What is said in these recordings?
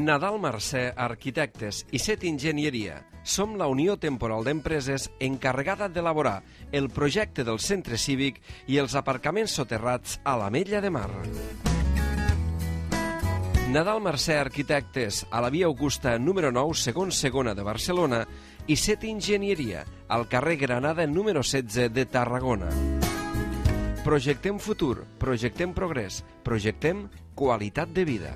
Nadal Mercè Arquitectes i Set Enginyeria. Som la Unió Temporal d'Empreses encarregada d'elaborar el projecte del centre cívic i els aparcaments soterrats a l'Ametlla de Mar. Nadal Mercè Arquitectes, a la via Augusta número 9, segon segona de Barcelona, i Set Enginyeria, al carrer Granada número 16 de Tarragona. Projectem futur, projectem progrés, projectem qualitat de vida.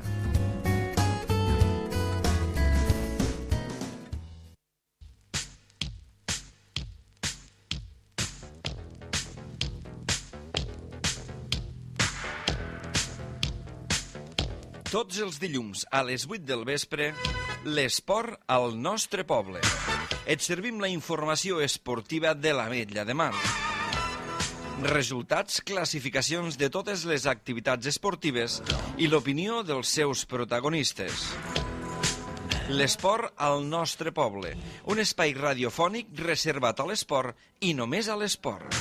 Tots els dilluns a les 8 del vespre, l'esport al nostre poble. Et servim la informació esportiva de l'Ametlla de Mar. Resultats, classificacions de totes les activitats esportives i l'opinió dels seus protagonistes. L'esport al nostre poble, un espai radiofònic reservat a l'esport i només a l'esport.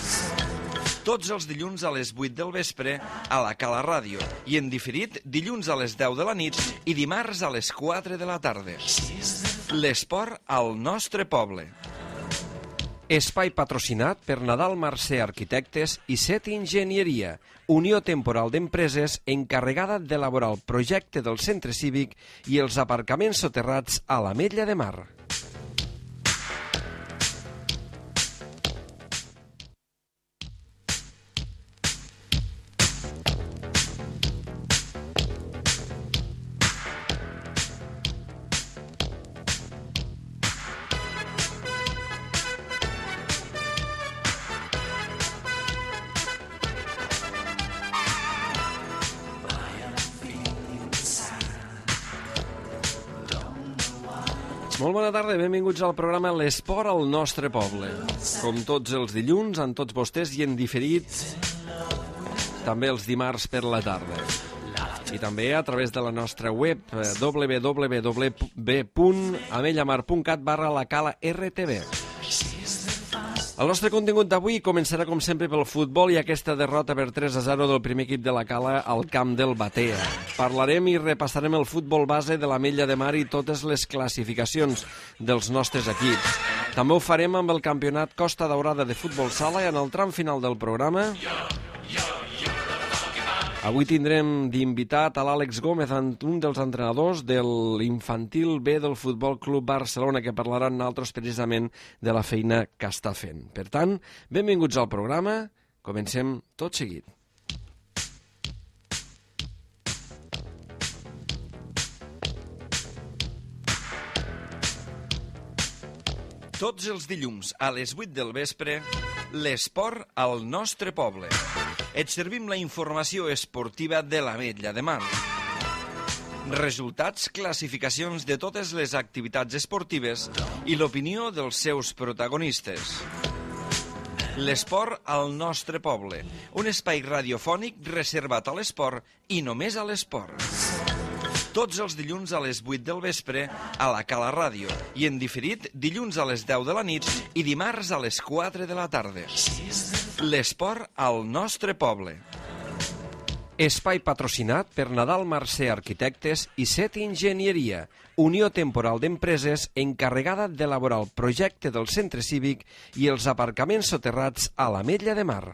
Tots els dilluns a les 8 del vespre a la Cala Ràdio i en diferit dilluns a les 10 de la nit i dimarts a les 4 de la tarda. L'esport al nostre poble. Espai patrocinat per Nadal Mercè Arquitectes i Set Enginyeria, Unió Temporal d'Empreses encarregada d'elaborar el projecte del centre cívic i els aparcaments soterrats a l'Ametlla de Mar. Molt bona tarda, benvinguts al programa L'Esport al nostre poble. Com tots els dilluns, amb tots vostès i en diferit, també els dimarts per la tarda. I també a través de la nostra web www.amellamar.cat/la-cala-rtv. El nostre contingut d'avui començarà com sempre pel futbol i aquesta derrota per 3-0 del primer equip de la Cala al camp del Batea. Parlarem i repassarem el futbol base de l'Ametlla de Mar i totes les classificacions dels nostres equips. També ho farem amb el campionat Costa Daurada de futbol sala i en el tram final del programa avui tindrem d'invitat a l'Àlex Gómez, un dels entrenadors de l'infantil B del Futbol Club Barcelona, que parlarà amb nosaltres precisament de la feina que està fent. Per tant, benvinguts al programa. Comencem tot seguit. Tots els dilluns a les 8 del vespre, l'esport al nostre poble. Et servim la informació esportiva de l'Ametlla de Mar. Resultats, classificacions de totes les activitats esportives i l'opinió dels seus protagonistes. L'esport al nostre poble, un espai radiofònic reservat a l'esport i només a l'esport. Tots els dilluns a les 8 del vespre a la Cala Ràdio i en diferit dilluns a les 10 de la nit i dimarts a les 4 de la tarda. L'esport al nostre poble. Espai patrocinat per Nadal Mercè Arquitectes i Set Enginyeria, Unió Temporal d'Empreses encarregada d'elaborar el projecte del centre cívic i els aparcaments soterrats a l'Ametlla de Mar.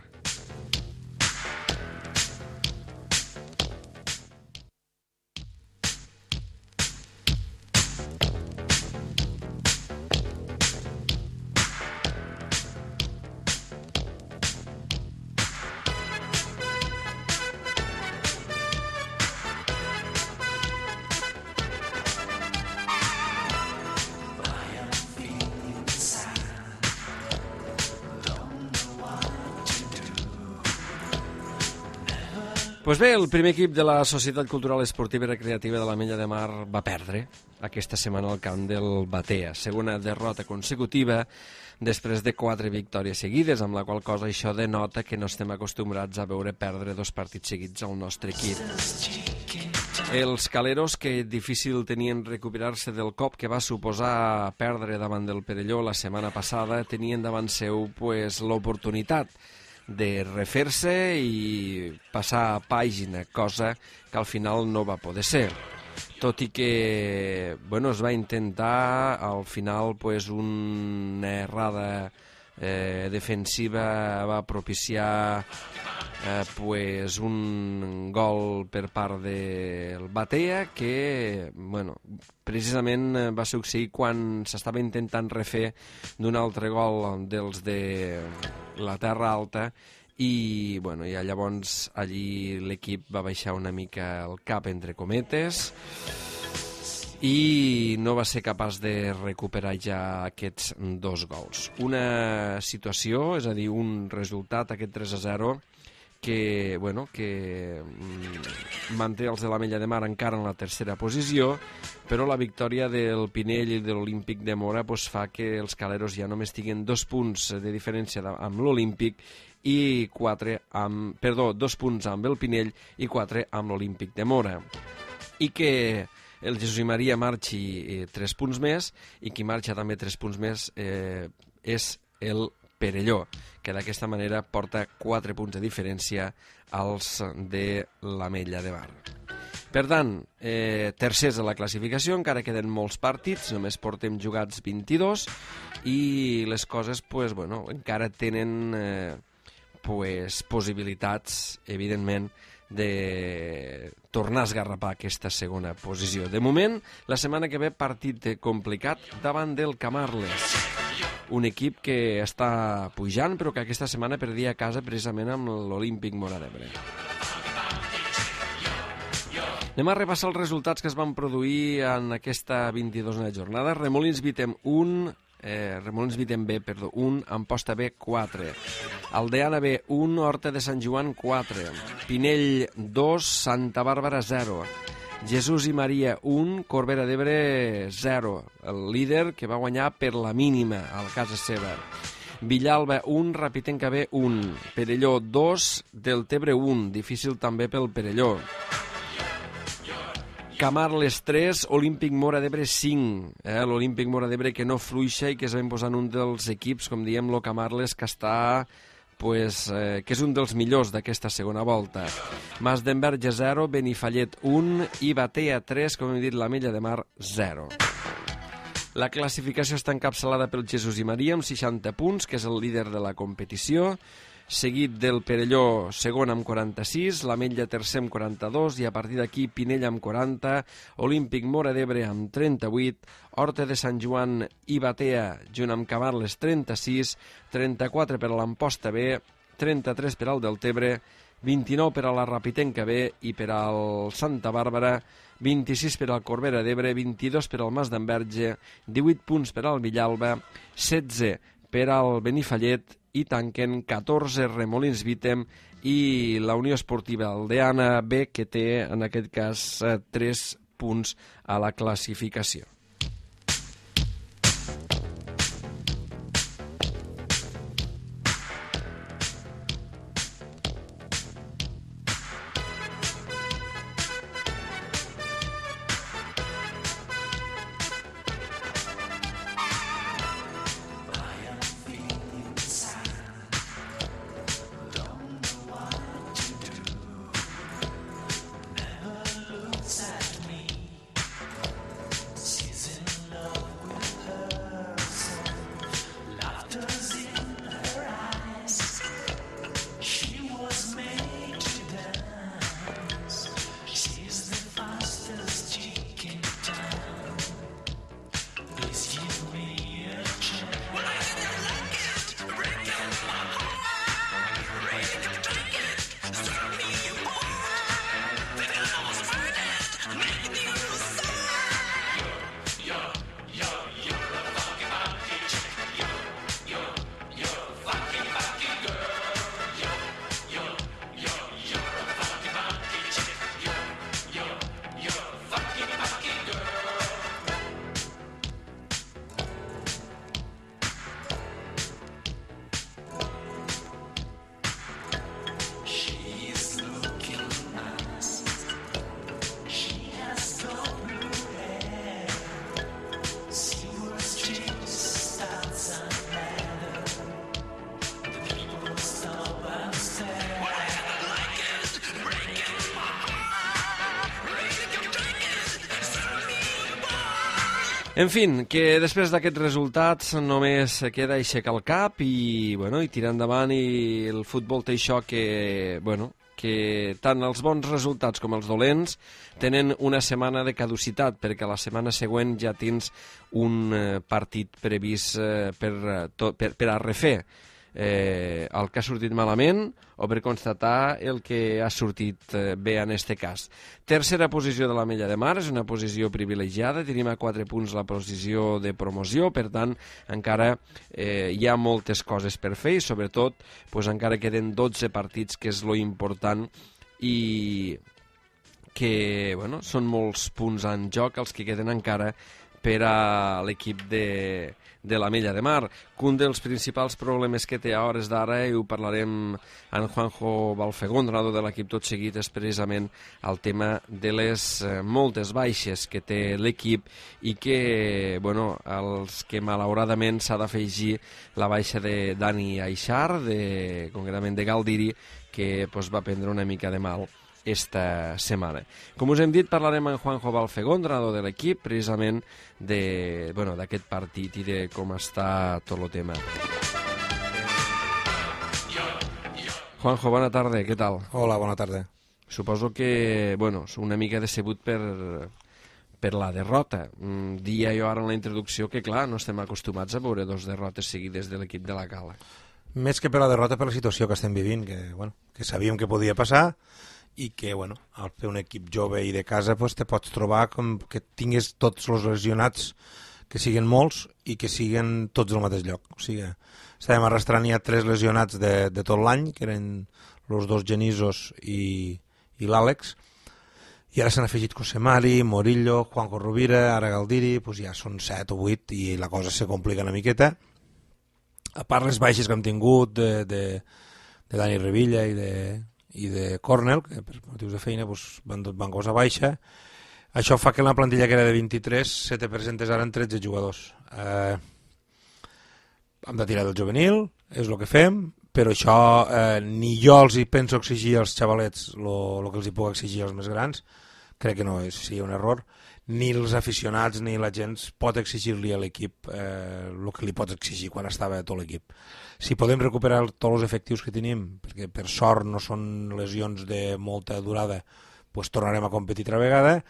Pues bé, el primer equip de la Societat Cultural Esportiva i Recreativa de l'Ametlla de Mar va perdre aquesta setmana al camp del Batea. Segona derrota consecutiva després de 4 victòries seguides, amb la qual cosa això denota que no estem acostumbrats a veure perdre 2 partits seguits al nostre equip. Els caleros, que difícil tenien recuperar-se del cop que va suposar perdre davant del Perelló la setmana passada, tenien davant seu l'oportunitat de refer-se i passar a pàgina, cosa que al final no va poder ser. tot i que es va intentar, al final una errada defensiva va propiciar un gol per part del Batea que precisament va succeir quan s'estava intentant refer d'un altre gol dels de la Terra Alta i llavors allí l'equip va baixar una mica el cap entre cometes i no va ser capaç de recuperar ja aquests 2 gols. Una situació, és a dir, un resultat, aquest 3-0, que manté els de l'Ametlla de Mar encara en la tercera posició, però la victòria del Pinell i de l'Olímpic de Mora fa que els caleros ja només tinguin 2 punts de diferència amb l'Olímpic i 2 punts amb el Pinell i 4 amb l'Olímpic de Mora. I que el Jesús i Maria marxi 3 punts més i qui marxa també 3 punts més és el Perelló, que d'aquesta manera porta 4 punts de diferència als de l'Ametlla de Mar. Per tant, tercers a la classificació, encara queden molts partits, només portem jugats 22 i les coses encara tenen possibilitats, evidentment, de tornar a esgarrapar aquesta segona posició. De moment, la setmana que ve partit complicat davant del Camarles, un equip que està pujant però que aquesta setmana perdia a casa precisament amb l'Olímpic Mora d'Ebre. Anem a repassar els resultats que es van produir en aquesta 22a jornada. Remolins Vitem B, 1, Amposta B, 4. Aldeana B, 1, Horta de Sant Joan, 4. Pinell, 2, Santa Bàrbara, 0. Jesús i Maria, 1, Corbera d'Ebre, 0. El líder que va guanyar per la mínima a casa seva. Villalba, 1, Rapitenca B, 1. Perelló, 2, Deltebre, 1. Difícil també pel Perelló. Camarles 3, Olímpic Mora d'Ebre 5. L'Olímpic Mora d'Ebre que no fluixa i que es va imposar en un dels equips, com diem, el Camarles, que està que és un dels millors d'aquesta segona volta. Mas d'Enverge 0, Benifallet 1 i Batea 3, com hem dit, l'Ametlla de Mar 0. La classificació està encapçalada pel Jesús i Maria amb 60 punts, que és el líder de la competició, seguit del Perelló segon amb 46, l'Ametlla tercer amb 42 i a partir d'aquí Pinell amb 40, Olímpic Mora d'Ebre amb 38, Horta de Sant Joan i Batea junt amb Camarles 36, 34 per a l'Amposta B, 33 per al Deltebre, 29 per a la Rapitenca B i per al Santa Bàrbara, 26 per al Corbera d'Ebre, 22 per al Mas d'Enverge, 18 punts per al Villalba, 16 per al Benifallet i tanquen 14 Remolins Vitem i la Unió Esportiva Aldeana B, que té en aquest cas 3 punts a la classificació. En fi, que després d'aquests resultats només queda aixecar el cap i tirar endavant, i el futbol té això que tant els bons resultats com els dolents tenen una setmana de caducitat, perquè la setmana següent ja tens un partit previst per a refer el que ha sortit malament o per constatar el que ha sortit bé en este cas. Tercera posició de l'Ametlla de Mar, és una posició privilegiada, tenim a 4 punts la posició de promoció, per tant encara hi ha moltes coses per fer i sobretot encara queden 12 partits, que és lo important, i que són molts punts en joc els que queden encara per a l'equip de l'Ametlla de Mar. Un dels principals problemes que té a hores d'ara, i ho parlarem amb Juanjo Balfegón, entrenador de l'equip, tot seguit, és precisament el tema de les moltes baixes que té l'equip i que, els que malauradament s'ha d'afegir la baixa de Dani Aixar, concretament de Galdiri, que va prendre una mica de mal esta setmana. Com us hem dit, parlarem amb Juanjo Balfegón, entrenador de l'equip, precisament d'aquest partit i de com està tot el tema. Juanjo, bona tarda, què tal? Hola, bona tarda. Suposo que, una mica decebut per la derrota. Dia jo ara en la introducció que, clar, no estem acostumats a veure 2 derrotes seguides de l'equip de la Cala. Més que per la derrota, per la situació que estem vivint, que sabíem que podia passar, i que, al fer un equip jove i de casa, te pots trobar com que tingués tots els lesionats, que siguen molts i que siguen tots al mateix lloc. O sigui, estàvem arrastrant ja 3 lesionats de tot l'any, que eren els 2 Genisos i l'Àlex, i ara s'han afegit Cosemari, Morillo, Juanjo Rovira, ara Galdiri, ja són 7 o 8 i la cosa se complica una miqueta. A part les baixes que hem tingut de Dani Revilla i de Cornell, que per motius de feina van cosa baixa, això fa que la plantilla que era de 23 se te presentes ara en 13 jugadors. Hem de tirar del juvenil, és el que fem, però això ni jo els hi penso exigir als xavalets el que els hi puc exigir als més grans, crec que no seria un error, ni els aficionats ni la gent pot exigir-li a l'equip el que li pots exigir quan estava tot l'equip. Si podem recuperar tots els efectius que tenim, perquè per sort no són lesions de molta durada, tornarem a competir altra vegada,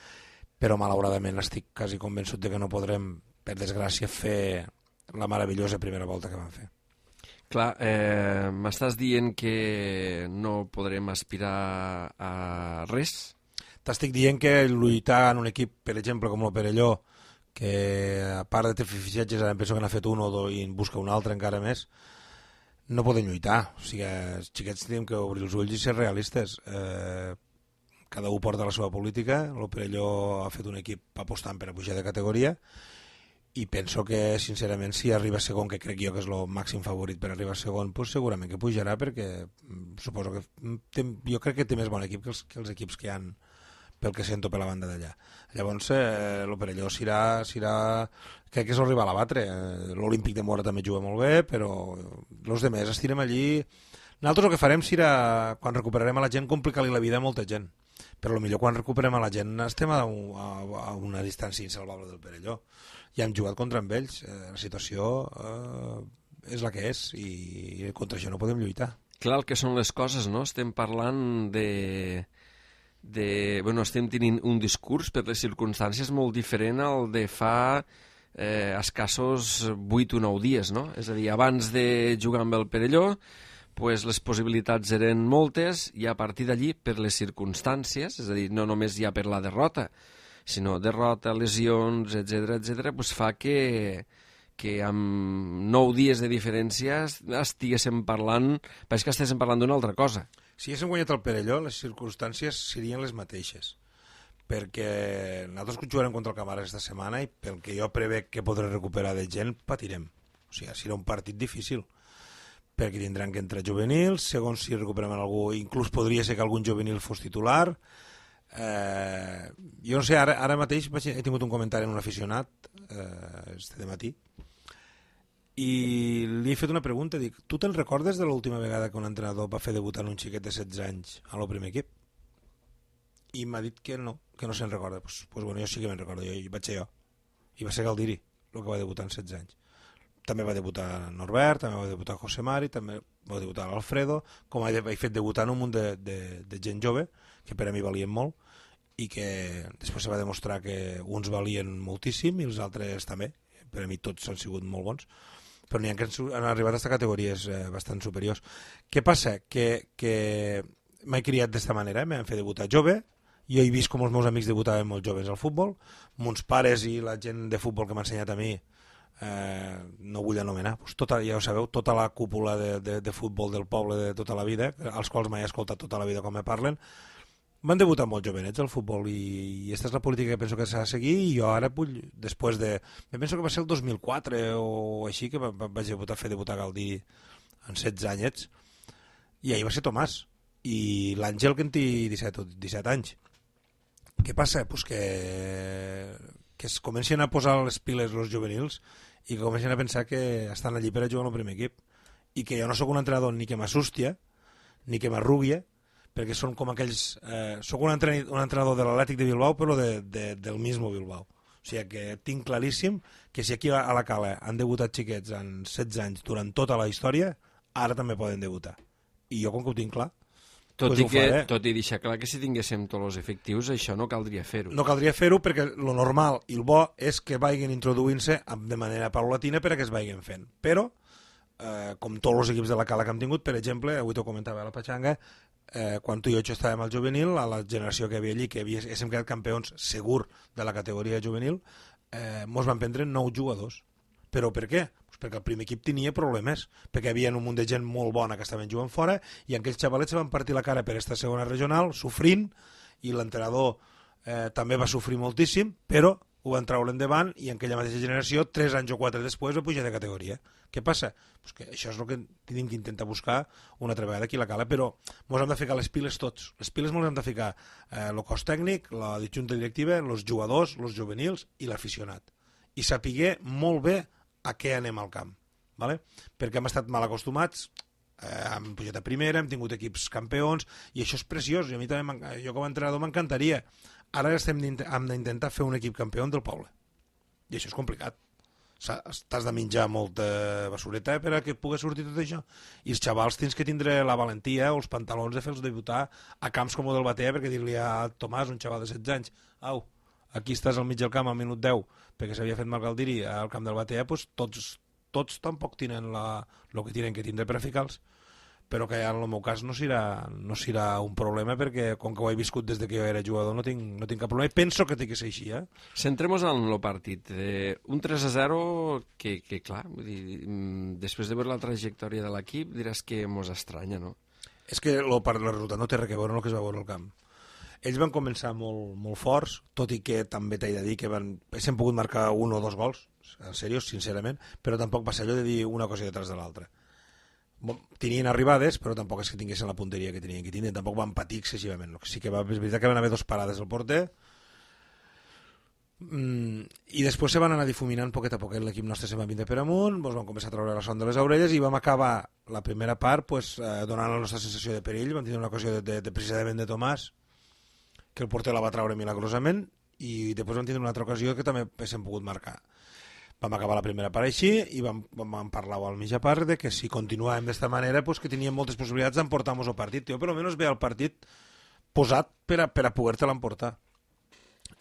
però malauradament estic quasi convençut de que no podrem, per desgràcia, fer la meravellosa primera volta que vam fer. Clar, m'estàs dient que no podrem aspirar a res? T'estic dient que lluitar en un equip, per exemple, com el Perelló, que a part de fer fitxatges, ara penso que n'ha fet un o dos i en busca un altre encara més, no podem lluitar. O sigui, els xiquets tenim que obrir els ulls i ser realistes. Cada un porta la seva política, el Perelló ha fet un equip apostant per a pujar de categoria, i penso que, sincerament, si arriba a segon, que crec jo que és el màxim favorit per arribar a segon, segurament que pujarà, perquè suposo que jo crec que té més bon equip que els equips que hi han, pel que sento per la banda d'allà. Llavors, el Perelló crec que és el rival a batre. L'Olímpic de Mora també juga molt bé, però els demés estirem allí. Nosaltres el que farem serà, quan recuperarem a la gent, complicar-li la vida a molta gent. Però potser quan recuperem a la gent estem a una distància insalvable del Perelló. Ja hem jugat contra amb ells. La situació és la que és i contra això no podem lluitar. Clar, el que són les coses, no? Estem parlant estem tenint un discurs per les circumstàncies molt diferent al de fa escassos 8 o 9 dies, no? És a dir, abans de jugar amb el Perelló, les possibilitats eren moltes, i a partir d'allí, per les circumstàncies, és a dir, no només ja per la derrota, sinó derrota, lesions, etc., fa que amb 9 dies de diferència estiguéssim parlant, pareix que estiguéssim parlant d'una altra cosa. Si haguéssim guanyat el Perelló, les circumstàncies serien les mateixes, perquè nosaltres que jugarem contra el Camara aquesta setmana i pel que jo prevec que podré recuperar de gent, patirem. O sigui, serà un partit difícil, perquè tindran que entrar juvenils, segons si recuperem algú, inclús podria ser que algun juvenil fos titular. Jo no sé, ara mateix he tingut un comentari en un aficionat de matí, i li he fet una pregunta, dic, tu te'n recordes de l'última vegada que un entrenador va fer debutar un xiquet de 16 anys al primer equip? I m'ha dit que no se'n recorda. Pues bueno, jo sí que me'n recordo, jo vaig ser jo. i va ser Galdiri el que va debutar en 16 anys. També va debutar Norbert, també va debutar José Mari, també va debutar l'Alfredo, com he fet debutar un munt de gent jove, que per a mi valien molt, i que després se va demostrar que uns valien moltíssim i els altres també. Per a mi tots han sigut molt bons, però n'hi ha que han arribat a aquestes categories bastant superiors. Què passa? Que m'he criat d'esta manera, m'han fet debutar jove, jo he vist com els meus amics debutaven molt joves al futbol, mons pares i la gent de futbol que m'ha ensenyat a mi, no vull anomenar, doncs ja ho sabeu, tota la cúpula de futbol del poble de tota la vida, als quals m'he escoltat tota la vida com me parlen, van debutar molt jovenets al futbol i aquesta és la política que penso que s'ha de seguir i jo ara, després de... penso que va ser el 2004 o així que vaig fer debutar Galdiri en 16 anyets i ahir va ser Tomàs i l'Àngel que en té 17 anys. Què passa? Pues que es comencen a posar les piles els juvenils i que comencen a pensar que estan allí per a jugar en el primer equip i que jo no sóc un entrenador ni que m'assustia ni que m'arruguia perquè són com aquells... soc un entrenador de l'Atlètic de Bilbao però del mismo Bilbao. O sigui que tinc claríssim que si aquí a la Cala han debutat xiquets en 16 anys durant tota la història, ara també poden debutar. I jo com que ho tinc clar, tot i deixar clar que si tinguéssim tots els efectius això no caldria fer-ho. No caldria fer-ho perquè lo normal i el bo és que vagin introduint-se de manera paulatina per a que es vagin fent. Però, com tots els equips de la Cala que hem tingut, per exemple, avui t'ho comentava a la Patxanga, quan tu i jo estàvem al juvenil, a la generació que hi havia allí, que haguéssim quedat campions segur de la categoria juvenil, mos van prendre 9 jugadors. Però per què? Pues perquè el primer equip tenia problemes, perquè hi havia un munt de gent molt bona que estaven jugant fora i aquells xavalets se van partir la cara per esta segona regional, sofrint, i l'entrenador també va sofrir moltíssim, però ho van treure endavant i en aquella mateixa generació, 3 anys o 4 després, va pujar de categoria. Què passa? Pues que això és el que tenim que intentar buscar una altra vegada aquí a la Cala, però ens hem de ficar les piles tots. Les piles ens hem de ficar el cos tècnic, la junta directiva, els jugadors, els juvenils i l'aficionat. I sapiguer molt bé a què anem al camp, ¿vale? Perquè hem estat mal acostumats, hem pujat a primera, hem tingut equips campions, i això és preciós, i a mi també, jo com a entrenador m'encantaria. Ara hem d'intentar fer un equip campió del poble, i això és complicat. T'has de menjar molta basureta per a que pugui sortir tot això, i els xavals tens que tindre la valentia o els pantalons de fer-los debutar a camps com el del Batea, perquè dir-li a Tomàs, un xaval de 16 anys, au, aquí estàs al mig del camp al minut 10 perquè s'havia fet mal Galdiri al camp del Batea, doncs tots tampoc tenen el que tenen que tindre per a ficar-los, però que en el meu cas no serà un problema perquè com que ho he viscut des que jo era jugador no tinc cap problema i penso que té que ser així. Centrem-nos en el partit. Un 3-0 que clar, vull dir, després de veure la trajectòria de l'equip diràs que mos estranya, no? És que el resultat no té res a veure amb el que es va veure al camp. Ells van començar molt, molt forts, tot i que també t'he de dir que haguessin pogut marcar 1 o 2 gols, en sèrio, sincerament, però tampoc va ser allò de dir una cosa detrás de l'altra. Tenien arribades, però tampoc és que tinguessin la punteria que tenien que tindre, tampoc van patir excessivament. Sí que és veritat que van haver 2 parades al porter, i després se van anar difuminant poquet a poquet, l'equip nostre se va vindre per amunt, van començar a treure la son de les orelles i vam acabar la primera part donant la nostra sensació de perill. Vam tenir una ocasió precisament de Tomàs, que el porter la va treure milagrosament, i després vam tenir una altra ocasió que també haguéssim pogut marcar. Vam acabar la primera part així i vam parlar al mitja part de que si continuàvem d'esta manera que teníem moltes possibilitats d'emportar-nos el partit. Jo per almenys veia el partit posat per a poder-te l'emportar.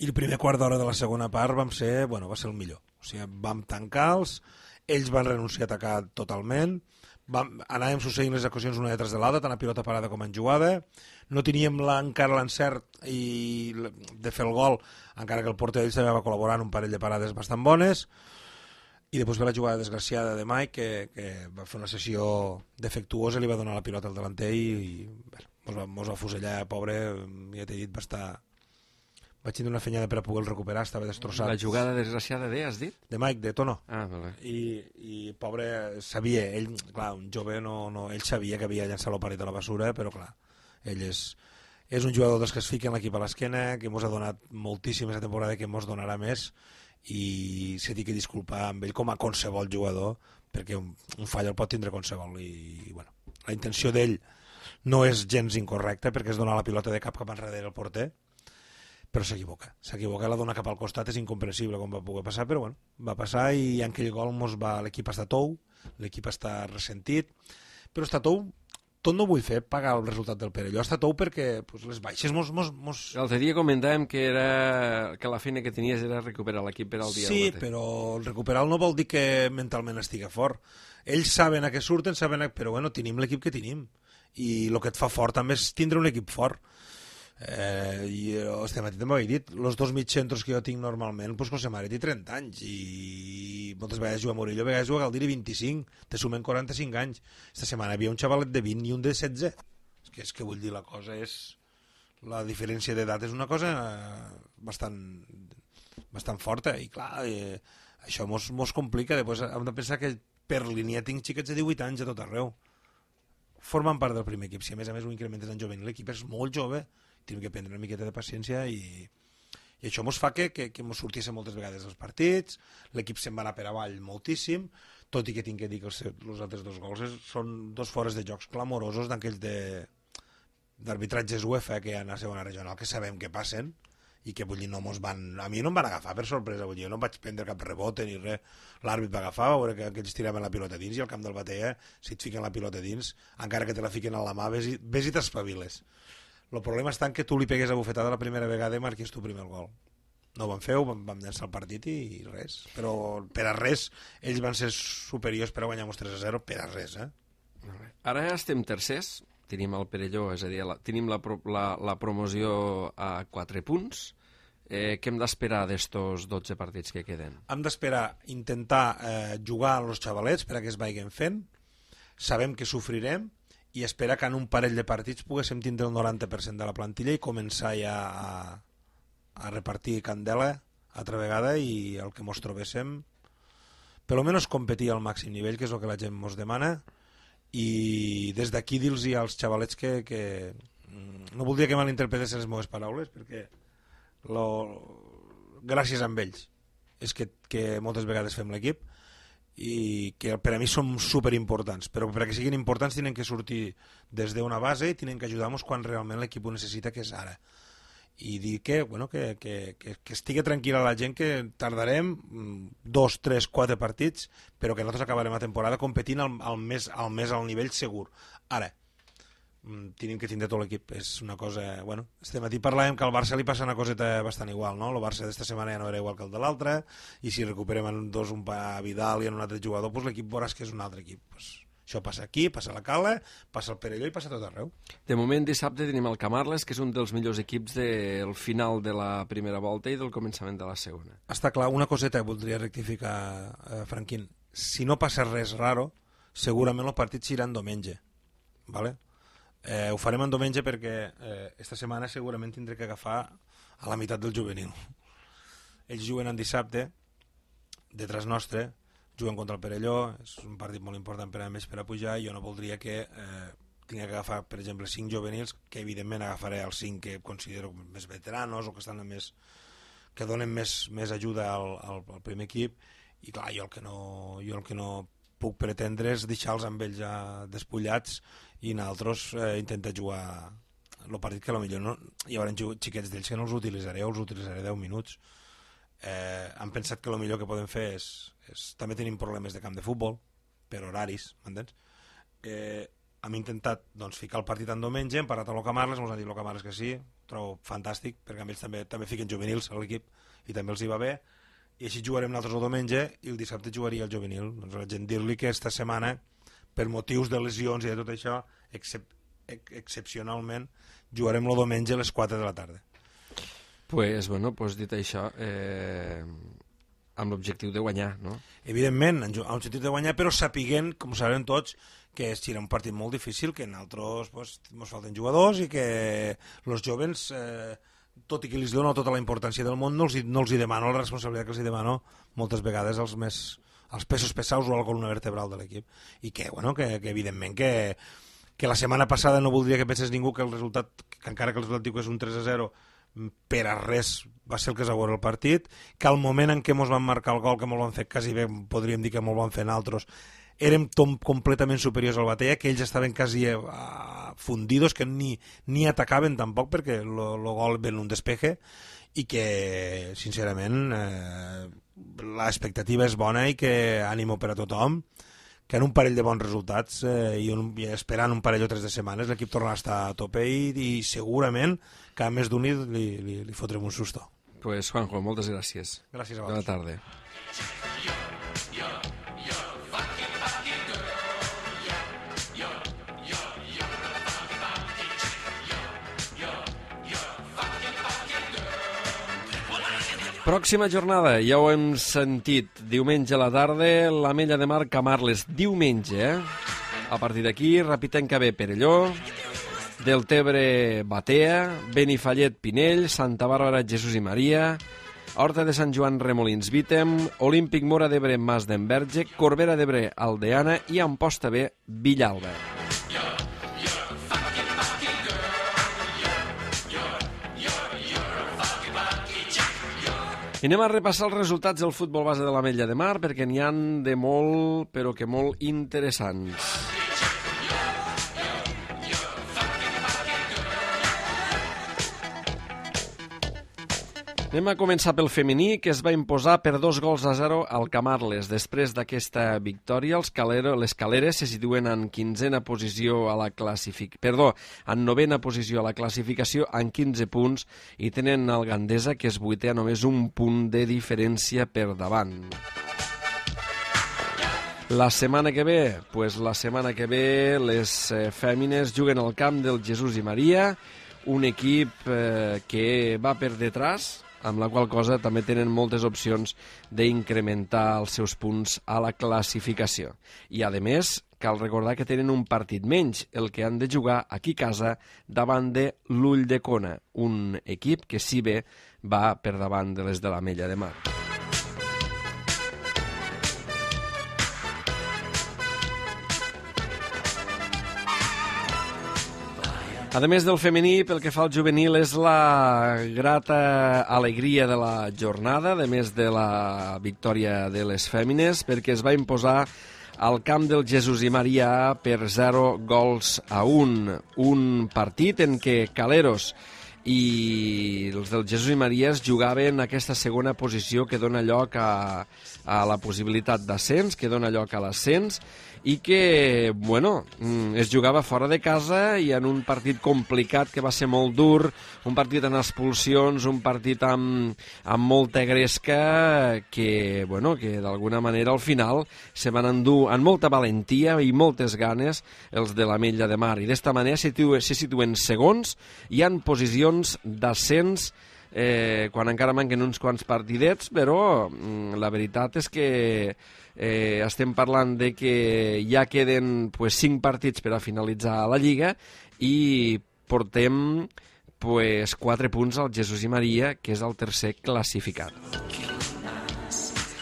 I el primer quart d'hora de la segona part va ser el millor. O sigui, vam tancar-los, ells van renunciar a atacar totalment, anàvem succeint les ocasions una detrás de l'altra, tant a pilota parada com en jugada, no teníem encara l'encert de fer el gol, encara que el porter d'ells també va col·laborar en un parell de parades bastant bones, i després ve la jugada desgraciada de Mike, que va fer una sessió defectuosa, li va donar la pilota al delanter i mos va fusellar, pobre, ja t'he dit, vaig tenir una fenyada per a poder-lo recuperar, estava destrossat. La jugada desgraciada has dit? De Mike, de Tono. Ah, vale. I pobre, sabia, ell, clar, un jove, ell sabia que havia llançat l'oparet a la basura, però clar, ell és un jugador dels que es fica en l'equip a l'esquena, que mos ha donat moltíssim aquesta temporada, que mos donarà més, i s'ha dit que disculpar amb ell com a qualsevol jugador, perquè un fall el pot tindre qualsevol, i bueno, la intenció d'ell no és gens incorrecta, perquè és donar la pilota de cap enrere al porter, però s'equivoca, la dona cap al costat, és incomprensible com va poder passar, però bueno, va passar i en aquell gol l'equip està tou, l'equip està ressentit, però està tou, tot no vull fer pagar el resultat del Perelló, està tou perquè pues, les baixes L'altre dia comentàvem que la feina que tenies era recuperar l'equip per al dia sí, però recuperar no vol dir que mentalment estigui fort. Ells saben a què surten, però bueno, tenim l'equip que tenim i el que et fa fort també és tindre un equip fort. I este matí també ho he dit, els dos mitjcentros que jo tinc normalment, doncs José Mare té 30 anys i moltes vegades juga a Murillo, a vegades juga a Galdiri 25, te sumen 45 anys. Esta setmana hi havia un xavalet de 20 i un de 16. És que vull dir, la cosa és... La diferència d'edat és una cosa bastant forta i clar, això mos complica. Després hem de pensar que per línia tinc xiquets de 18 anys a tot arreu. Formen part del primer equip. Si a més ho incrementes en jovent, l'equip és molt jove, tenim que prendre una miqueta de paciència i això mos fa que mos sortís moltes vegades dels partits, l'equip se'n va anar per avall moltíssim, tot i que tinc que dir que els altres dos gols són dos fores de jocs clamorosos d'aquells d'arbitratges UEFA que hi ha a segona regional, que sabem que passen i que vull dir, a mi no em van agafar per sorpresa, vull dir, jo no em vaig prendre cap rebote ni res, l'àrbit va agafar, va veure que ells tiraven la pilota dins i al camp del Batea, si et fiquen la pilota dins, encara que te la fiquen a la mà, ves i t'espaviles. El problema està en que tu li pegues a bufetada la primera vegada i marquis tu primer el gol. No ho vam fer, vam llançar el partit i res. Però per a res, ells van ser superiors per a guanyar-nos 3-0, per a res, Ara estem tercers, tenim el Perelló, és a dir, tenim la promoció a 4 punts. Què hem d'esperar d'estos 12 partits que queden? Hem d'esperar intentar jugar als xavalets per a que es vagin fent. Sabem que sofrirem, i espera que en un parell de partits poguéssim tindre el 90% de la plantilla i començar ja a repartir candela altra vegada i el que mos trobéssim per almenys competir al màxim nivell, que és el que la gent mos demana, i des d'aquí dir-los als xavalets que no voldria que malinterpretessin les meves paraules, perquè gràcies a ells és que moltes vegades fem l'equip i que per a mi són superimportants, però perquè siguin importants tenen que sortir des d'una base i tenen que ajudar-nos quan realment l'equip ho necessita, que és ara. I dir que estigui tranquil·la la gent, que tardarem 2, 3, 4 partits, però que nosaltres acabarem la temporada competint al més al nivell segur. Ara, tenim que tindre tot l'equip, és una cosa... Bueno, este matí parlàvem que al Barça li passa una coseta bastant igual, no? El Barça d'esta setmana ja no era igual que el de l'altre, i si recuperem en dos un Vidal i en un altre jugador, doncs l'equip veuràs que és un altre equip. Pues això passa aquí, passa a la Cala, passa al Perelló i passa a tot arreu. De moment, dissabte tenim el Camarles, que és un dels millors equips del final de la primera volta i del començament de la segona. Està clar, una coseta que voldria rectificar, Franquín. Si no passa res raro, segurament els partits seran diumenge, ¿vale? Ho farem en diumenge perquè esta setmana segurament tindré que agafar a la meitat del juvenil. Ells juguen en dissabte, detrás nostre, juguen contra el Perelló, és un partit molt important per a més per a pujar, i jo no voldria que tingui que agafar, per exemple, 5 juvenils, que evidentment agafaré els 5 que considero més veteranos o que estan que donen més ajuda al primer equip, i clar, jo el que no puc pretendre és deixar-los amb ells ja despullats i nosaltres intentar jugar el partit, que potser no, hi haurà xiquets d'ells que no els utilitzaré o els utilitzaré 10 minuts. Han pensat que el millor que podem fer és també tenim problemes de camp de futbol per horaris, m'entens? Hem intentat ficar el partit en diumenge, hem parat a l'Ocamarles, ens han dit l'Ocamarles que sí, trobo fantàstic, perquè ells també fiquen juvenils a l'equip i també els hi va bé, i així jugarem nosaltres el diumenge i el dissabte jugaria el juvenil. Doncs la gent dir-li que esta setmana, per motius de lesions i de tot això, excepcionalment jugarem el diumenge a les 4 de la tarda. Pues dit això, amb l'objectiu de guanyar, no? Evidentment, amb l'objectiu de guanyar, però sapiguent, com sabem tots, que serà un partit molt difícil, que en altres ens falten jugadors i que els jovens, tot i que els dono tota la importància del món, no els hi demano la responsabilitat que els hi demano moltes vegades als pesos pesaus o a la columna vertebral de l'equip. I que evidentment, que la setmana passada no voldria que pensés ningú que el resultat, que encara que el resultat diu que és un 3-0, per a res va ser el que es va veure el partit, que al moment en què ens van marcar el gol, que molt van fer quasi bé, podríem dir que molt van fer nosaltres, érem completament superiors al Batea, que ells estaven quasi fundidos, que ni atacaven tampoc, perquè el gol ve en un despeje, i que, sincerament, l'expectativa és bona i que ànimo per a tothom, que en un parell de bons resultats i esperant un parell o 3 de setmanes l'equip tornarà a estar a tope i segurament que a més d'un li fotrem un susto. Pues Juanjo, moltes gràcies. Gràcies a Bona vosaltres. tarda. Pròxima jornada, ja ho hem sentit, diumenge a la tarda, l'Ametlla de Mar Camarles, diumenge, A partir d'aquí, Rapitenca B, Perelló, Deltebre, Batea, Benifallet, Pinell, Santa Bàrbara, Jesús i Maria, Horta de Sant Joan, Remolins, Vítem, Olímpic Móra d'Ebre, Mas d'Enverge, Corbera d'Ebre, Aldeana i Amposta B, Villalba. I anem a repassar els resultats del futbol base de l'Ametlla de Mar perquè n'hi han de molt, però que molt interessants. Anem a començar pel femení, que es va imposar per 2-0 al Camarles. Després d'aquesta victòria, les Caleres se situen en 15a posició a la en 9a posició a la classificació amb 15 punts i tenen el Gandesa, que és 8è, a només un punt de diferència per davant. La setmana que ve, les fèmines juguen al camp del Jesús i Maria, un equip que va per detrás, amb la qual cosa també tenen moltes opcions d'incrementar els seus punts a la classificació. I, a més, cal recordar que tenen un partit menys, el que han de jugar aquí a casa davant de l'Ulldecona, un equip que si bé va per davant de les de l'Ametlla de Mar. A més del femení, pel que fa al juvenil, és la grata alegria de la jornada, a més de la victòria de les fèmines, perquè es va imposar al camp del Jesús i Maria per 0-1. Un partit en què Caleros i els del Jesús i Maria es jugaven aquesta segona posició que dona lloc a la possibilitat d'ascens, que dona lloc a l'ascens, i que, es jugava fora de casa i en un partit complicat que va ser molt dur, un partit en expulsions, un partit amb molta gresca, que d'alguna manera al final se van endur amb molta valentia i moltes ganes els de l'Ametlla de Mar, i d'esta manera se situen segons i en posicions d'ascens quan encara manquen uns quants partidets, però la veritat és que estem parlant de que ja queden 5 partits per a finalitzar la Lliga i portem 4 punts al Jesús i Maria, que és el tercer classificat.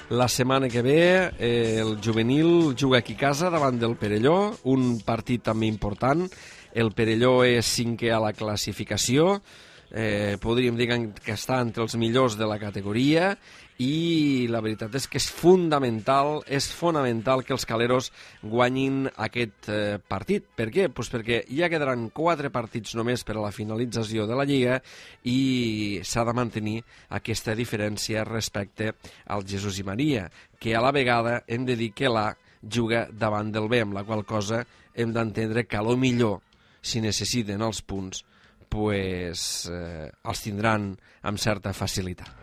La setmana que ve el juvenil juga aquí a casa davant del Perelló, un partit també important. El Perelló és 5è a la classificació, podríem dir que està entre els millors de la categoria, i la veritat és que és fonamental que els caleros guanyin aquest partit. Per què? Pues perquè ja quedaran 4 partits només per a la finalització de la Lliga i s'ha de mantenir aquesta diferència respecte al Jesús i Maria, que a la vegada hem de dir que l'A juga davant del B, amb la qual cosa hem d'entendre que a lo millor, si necessiten els punts, pues, els tindran amb certa facilitat.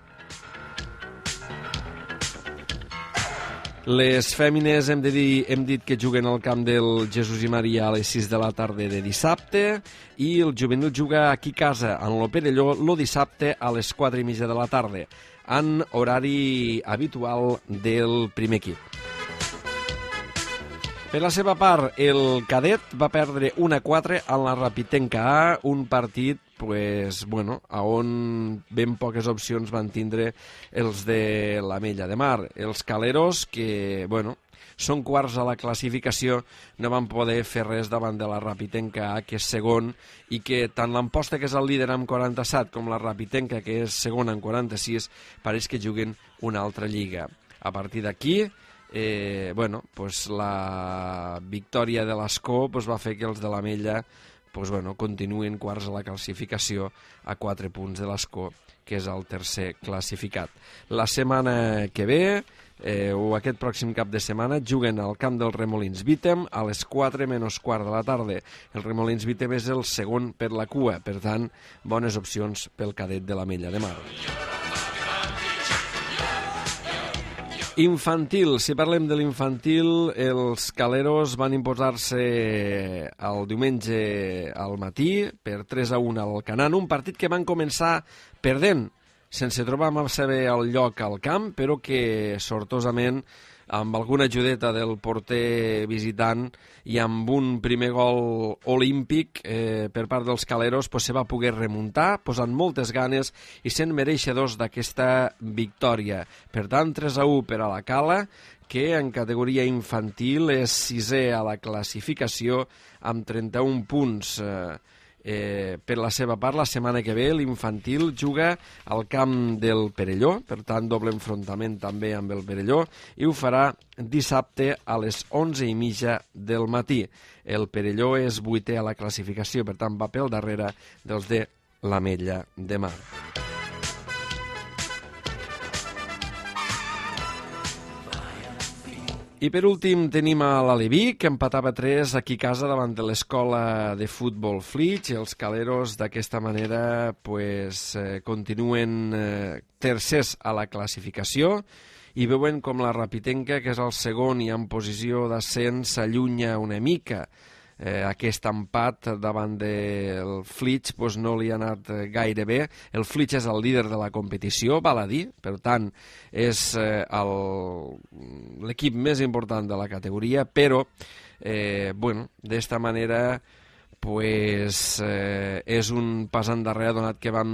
Les fèmines hem dit que juguen al camp del Jesús i Maria a les 6 de la tarda de dissabte i el juvenil juga aquí a casa, en el Perelló, el dissabte a les 4:30 de la tarda, en horari habitual del primer equip. Per la seva part, el cadet va perdre 1-4 en la Rapitenca A, un partit on ben poques opcions van tindre els de l'Ametlla de Mar. Els caleros, que són quarts a la classificació, no van poder fer res davant de la Rapitenca A, que és segon, i que tant l'Amposta, que és el líder amb 47, com la Rapitenca, que és segona amb 46, pareix que juguen una altra lliga. A partir d'aquí, la victòria de l'Escó va fer que els de l'Ametlla continuïn quarts a la classificació a 4 punts de l'Escó, que és el tercer classificat. La setmana que ve, o aquest pròxim cap de setmana, juguen al camp del Remolins Vítem a les 4 menys quart de la tarda. El Remolins Vítem és el segon per la cua, per tant, bones opcions pel cadet de l'Ametlla de Mar. Infantil, si parlem de l'infantil, els caleros van imposar-se el diumenge al matí per 3-1 al Canaan, un partit que van començar perdent, sense trobar massa bé el lloc al camp, però que sortosament, amb alguna ajudeta del porter visitant i amb un primer gol olímpic per part dels caleros, se va poder remuntar, posant moltes ganes i sent mereixedors d'aquesta victòria. Per tant, 3-1 per a la Cala, que en categoria infantil és 6è a la classificació amb 31 punts. Per la seva part, la setmana que ve l'infantil juga al camp del Perelló, per tant doble enfrontament també amb el Perelló, i ho farà dissabte a les 11:30 del matí. El Perelló és 8è a la classificació, per tant va pel darrere dels de l'Ametlla de Mar. I per últim tenim a l'Aleví, que empatava 3 aquí a casa davant de l'escola de futbol Flix. Els caleros d'aquesta manera continuen tercers a la classificació i veuen com la Rapitenca, que és el segon i en posició d'ascens, s'allunya una mica. Aquest empat davant del Flix no li ha anat gaire bé. El Flix és el líder de la competició, val a dir, per tant és l'equip més important de la categoria, però d'esta manera és un pas endarrere, donat que van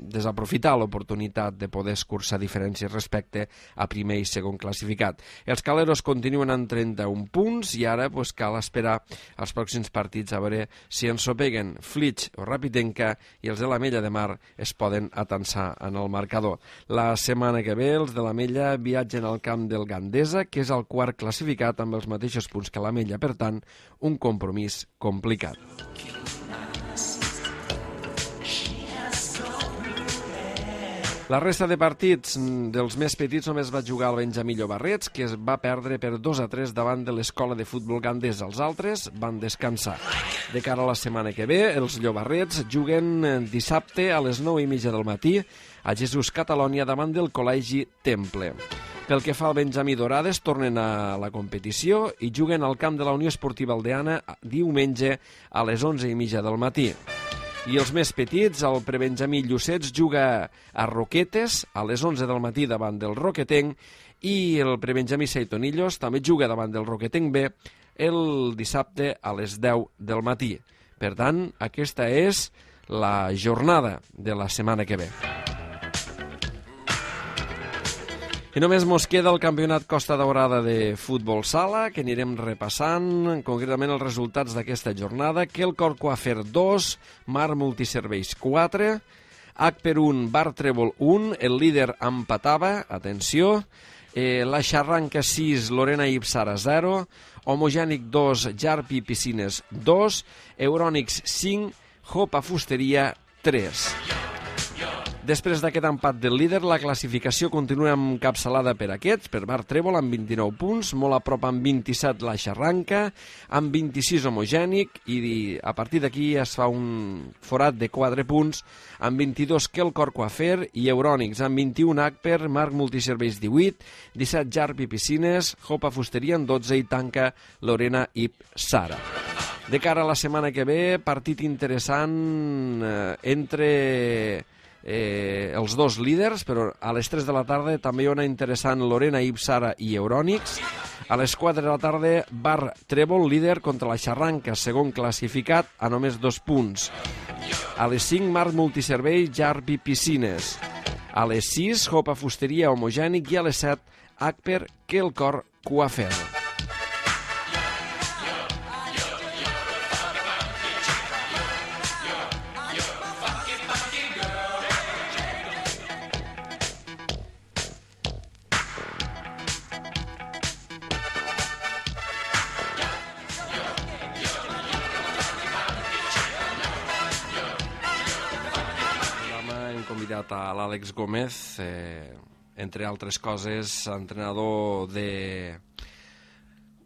desaprofitar l'oportunitat de poder escurçar diferències respecte a primer i segon classificat. Els caleros continuen amb 31 punts i ara cal esperar els pròxims partits a veure si ensopeguen Flix o Rapitenca i els de l'Ametlla de Mar es poden atansar en el marcador. La setmana que ve els de l'Ametlla viatgen al camp del Gandesa, que és el quart classificat amb els mateixos punts que l'Ametlla, per tant, un compromís complicat. La resta de partits dels més petits només va jugar el Benjamí Llobarrets, que es va perdre per 2-3 davant de l'escola de futbol Gandesa. Els altres van descansar. De cara a la setmana que ve, els Llobarrets juguen dissabte a les 9:30 del matí a Jesús Catalònia davant del Col·legi Temple. Pel que fa al Benjamí Dorades, tornen a la competició i juguen al camp de la Unió Esportiva Aldeana diumenge a les 11:30 del matí. I els més petits, el prebenjamí Llucets juga a Roquetes a les 11 del matí davant del Roquetenc i el prebenjamí Seitonillos també juga davant del Roquetenc B el dissabte a les 10 del matí. Per tant, aquesta és la jornada de la setmana que ve. I només mos queda el campionat Costa Daurada de futbol sala, que anirem repassant concretament els resultats d'aquesta jornada. Quelcor Coafer 2, Mar Multiserveis 4, Agper 1, Bar Trèvol 1, el líder empatava, atenció, la Xarranca 6, Lorena Ipsara 0, Homogènic 2, Jarpi Piscines 2, Eurònics 5, Jopa Fusteria 3. Després d'aquest empat del líder, la classificació continua encapçalada per aquests, per Bar Trèvol amb 29 punts, molt a prop amb 27 la Xarranca, amb 26 Homogènic, i a partir d'aquí es fa un forat de 4 punts, amb 22 Quelcor Coafer i Eurònics, amb 21 Agper, Marc Multiserveis 18, 17 Jarpi Piscines, Jopa Fusteria en 12 i tanca Lorena Ip Sara. De cara a la setmana que ve, partit interessant entre els dos líders, però a les 3 de la tarda també hi ha una interessant Lorena Ipsara i Eurònics. A les 4 de la tarda, Bar Trèvol, líder contra la Xarranca, segon classificat a només 2 punts. A les 5, Marc Multiservei, Jarpi Piscines. A les 6, Jopa Fusteria Homogènic i a les 7, Agper Quelcor Coafer. a l'Àlex Gómez, entre altres coses, entrenador de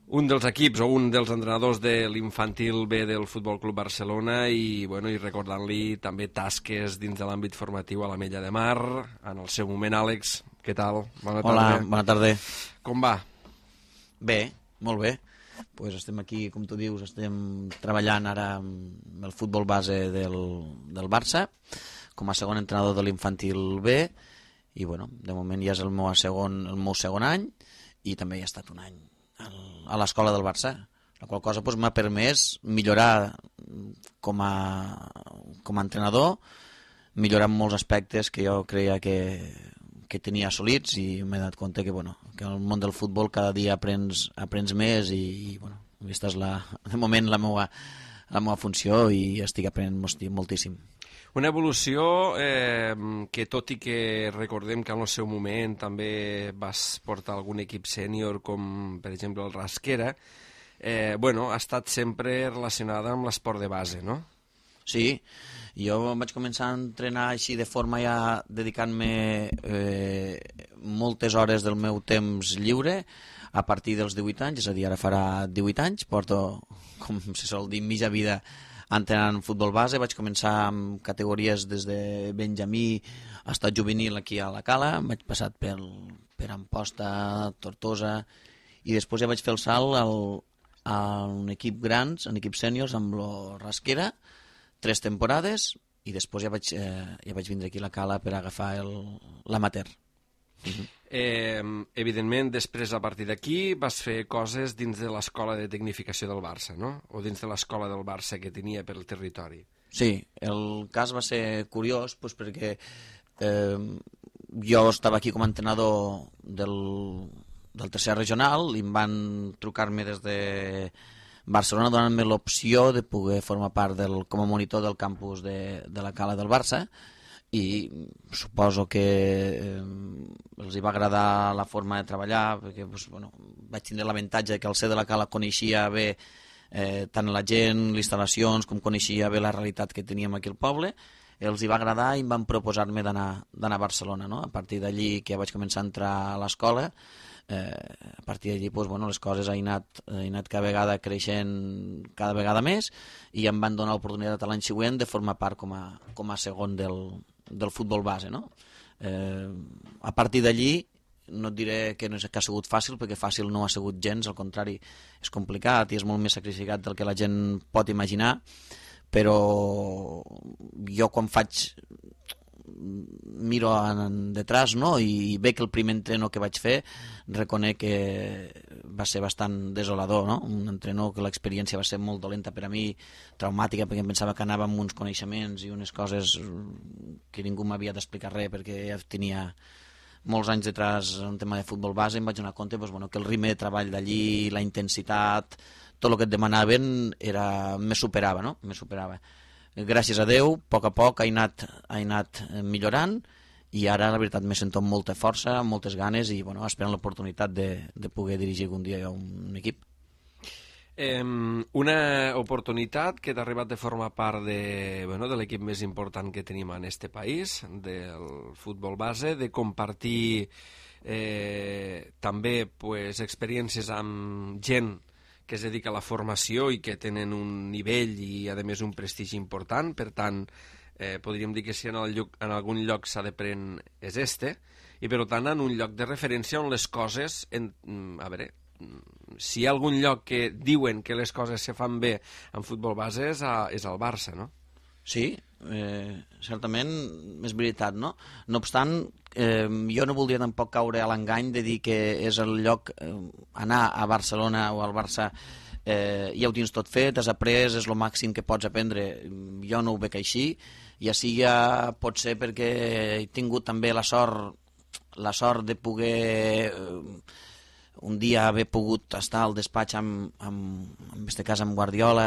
un dels equips o un dels entrenadors de l'infantil B del Futbol Club Barcelona i recordant-li també tasques dins de l'àmbit formatiu a l'Ametlla de Mar. En el seu moment, Àlex, què tal? Bona tarda. Hola, bona tarda. Com va? Bé, molt bé. Pues estem aquí, com tu dius, estem treballant ara amb el futbol base del Barça com a segon entrenador de l'infantil B i bueno, de moment ja és el meu segon any i també hi ha estat un any a l'escola del Barça, la qual cosa m'ha permès millorar com a entrenador, millorar en molts aspectes que jo creia que tenia assolits i m'he donat compte que el món del futbol cada dia aprens més i aquesta és de moment la meva funció i estic aprenent moltíssim. Una evolució que, tot i que recordem que en el seu moment també vas portar algun equip sènior, com per exemple el Rasquera, ha estat sempre relacionada amb l'esport de base, no? Sí, jo vaig començar a entrenar així de forma ja dedicant-me moltes hores del meu temps lliure a partir dels 18 anys, és a dir, ara farà 18 anys, porto, com se sol dir, mitja vida entrenant futbol base. Vaig començar amb categories des de Benjamí fins a juvenil aquí a la Cala, vaig passar per Amposta, Tortosa i després ja vaig fer el salt a un equip grans, en equips sèniors amb lo Rasquera, 3 temporades i després ja vaig vindre aquí a la Cala per agafar l'amateur. Evidentment, després, a partir d'aquí, vas fer coses dins de l'escola de tecnificació del Barça, no? O dins de l'escola del Barça que tenia per el territori. Sí, el cas va ser curiós perquè jo estava aquí com a entrenador del tercer regional i em van trucar-me des de Barcelona donant-me l'opció de poder formar part com a monitor del campus de la Cala del Barça i suposo que els hi va agradar la forma de treballar perquè vaig tindre l'avantatge que al ser de la Cala coneixia bé tant la gent, les instal·lacions, com coneixia bé la realitat que teníem aquí al poble. Els hi va agradar i em van proposar-me d'anar a Barcelona, no? A partir d'allí que ja vaig començar a entrar a l'escola, a partir d'allí les coses han anat cada vegada creixent cada vegada més i em van donar l'oportunitat l'any següent de formar part com a segon del futbol base, no? A partir d'allí no et diré que ha sigut fàcil perquè fàcil no ha sigut gens, al contrari és complicat i és molt més sacrificat del que la gent pot imaginar, però jo quan miro detrás, no? I veig el primer entreno que vaig fer, reconec que va ser bastant desolador, no? Un entreno que l'experiència va ser molt dolenta per a mi, traumàtica, perquè em pensava que anava amb uns coneixements i unes coses que ningú m'havia d'explicar res, perquè ja tenia molts anys detrás en tema de futbol base, em vaig donar compte que el ritme de treball d'allí, la intensitat, tot el que et demanaven me superava, no? Me superava. Gràcies a Déu, a poc ha anat millorant i ara la veritat me sento amb molta força, amb moltes ganes i esperant l'oportunitat de poder dirigir algun dia un equip. Una oportunitat que t'ha arribat de formar part de l'equip més important que tenim en este país, del futbol base, de compartir també experiències amb gent que es dedica a la formació i que tenen un nivell i, a més, un prestigi important. Per tant, podríem dir que si en algun lloc s'ha de prendre és este, i per tant en un lloc de referència on les coses... A veure, si hi ha algun lloc que diuen que les coses se fan bé en futbol base és el Barça, no? Sí, certament és veritat, no? No obstant, jo no voldria tampoc caure a l'engany de dir que és el lloc, anar a Barcelona o al Barça, ja ho tens tot fet, has après, és el màxim que pots aprendre. Jo no ho veig així, i així ja pot ser perquè he tingut també la sort de poder un dia haver pogut estar al despatx en este cas amb Guardiola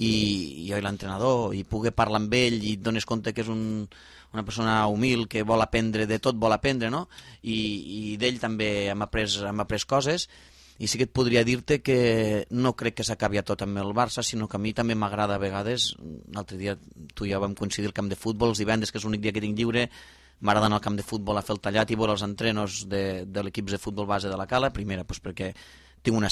i jo i l'entrenador i poder parlar amb ell i et dones compte que és una persona humil que vol aprendre, de tot vol aprendre, no? I d'ell també hem après coses i sí que et podria dir-te que no crec que s'acabi a tot amb el Barça, sinó que a mi també m'agrada a vegades. L'altre dia tu i jo vam coincidir al camp de futbol, els divendres, que és l'únic dia que tinc lliure, m'agrada anar al camp de futbol a fer el tallat i veure els entrenos de l'equip de futbol base de la Cala. Primera, doncs perquè tinc una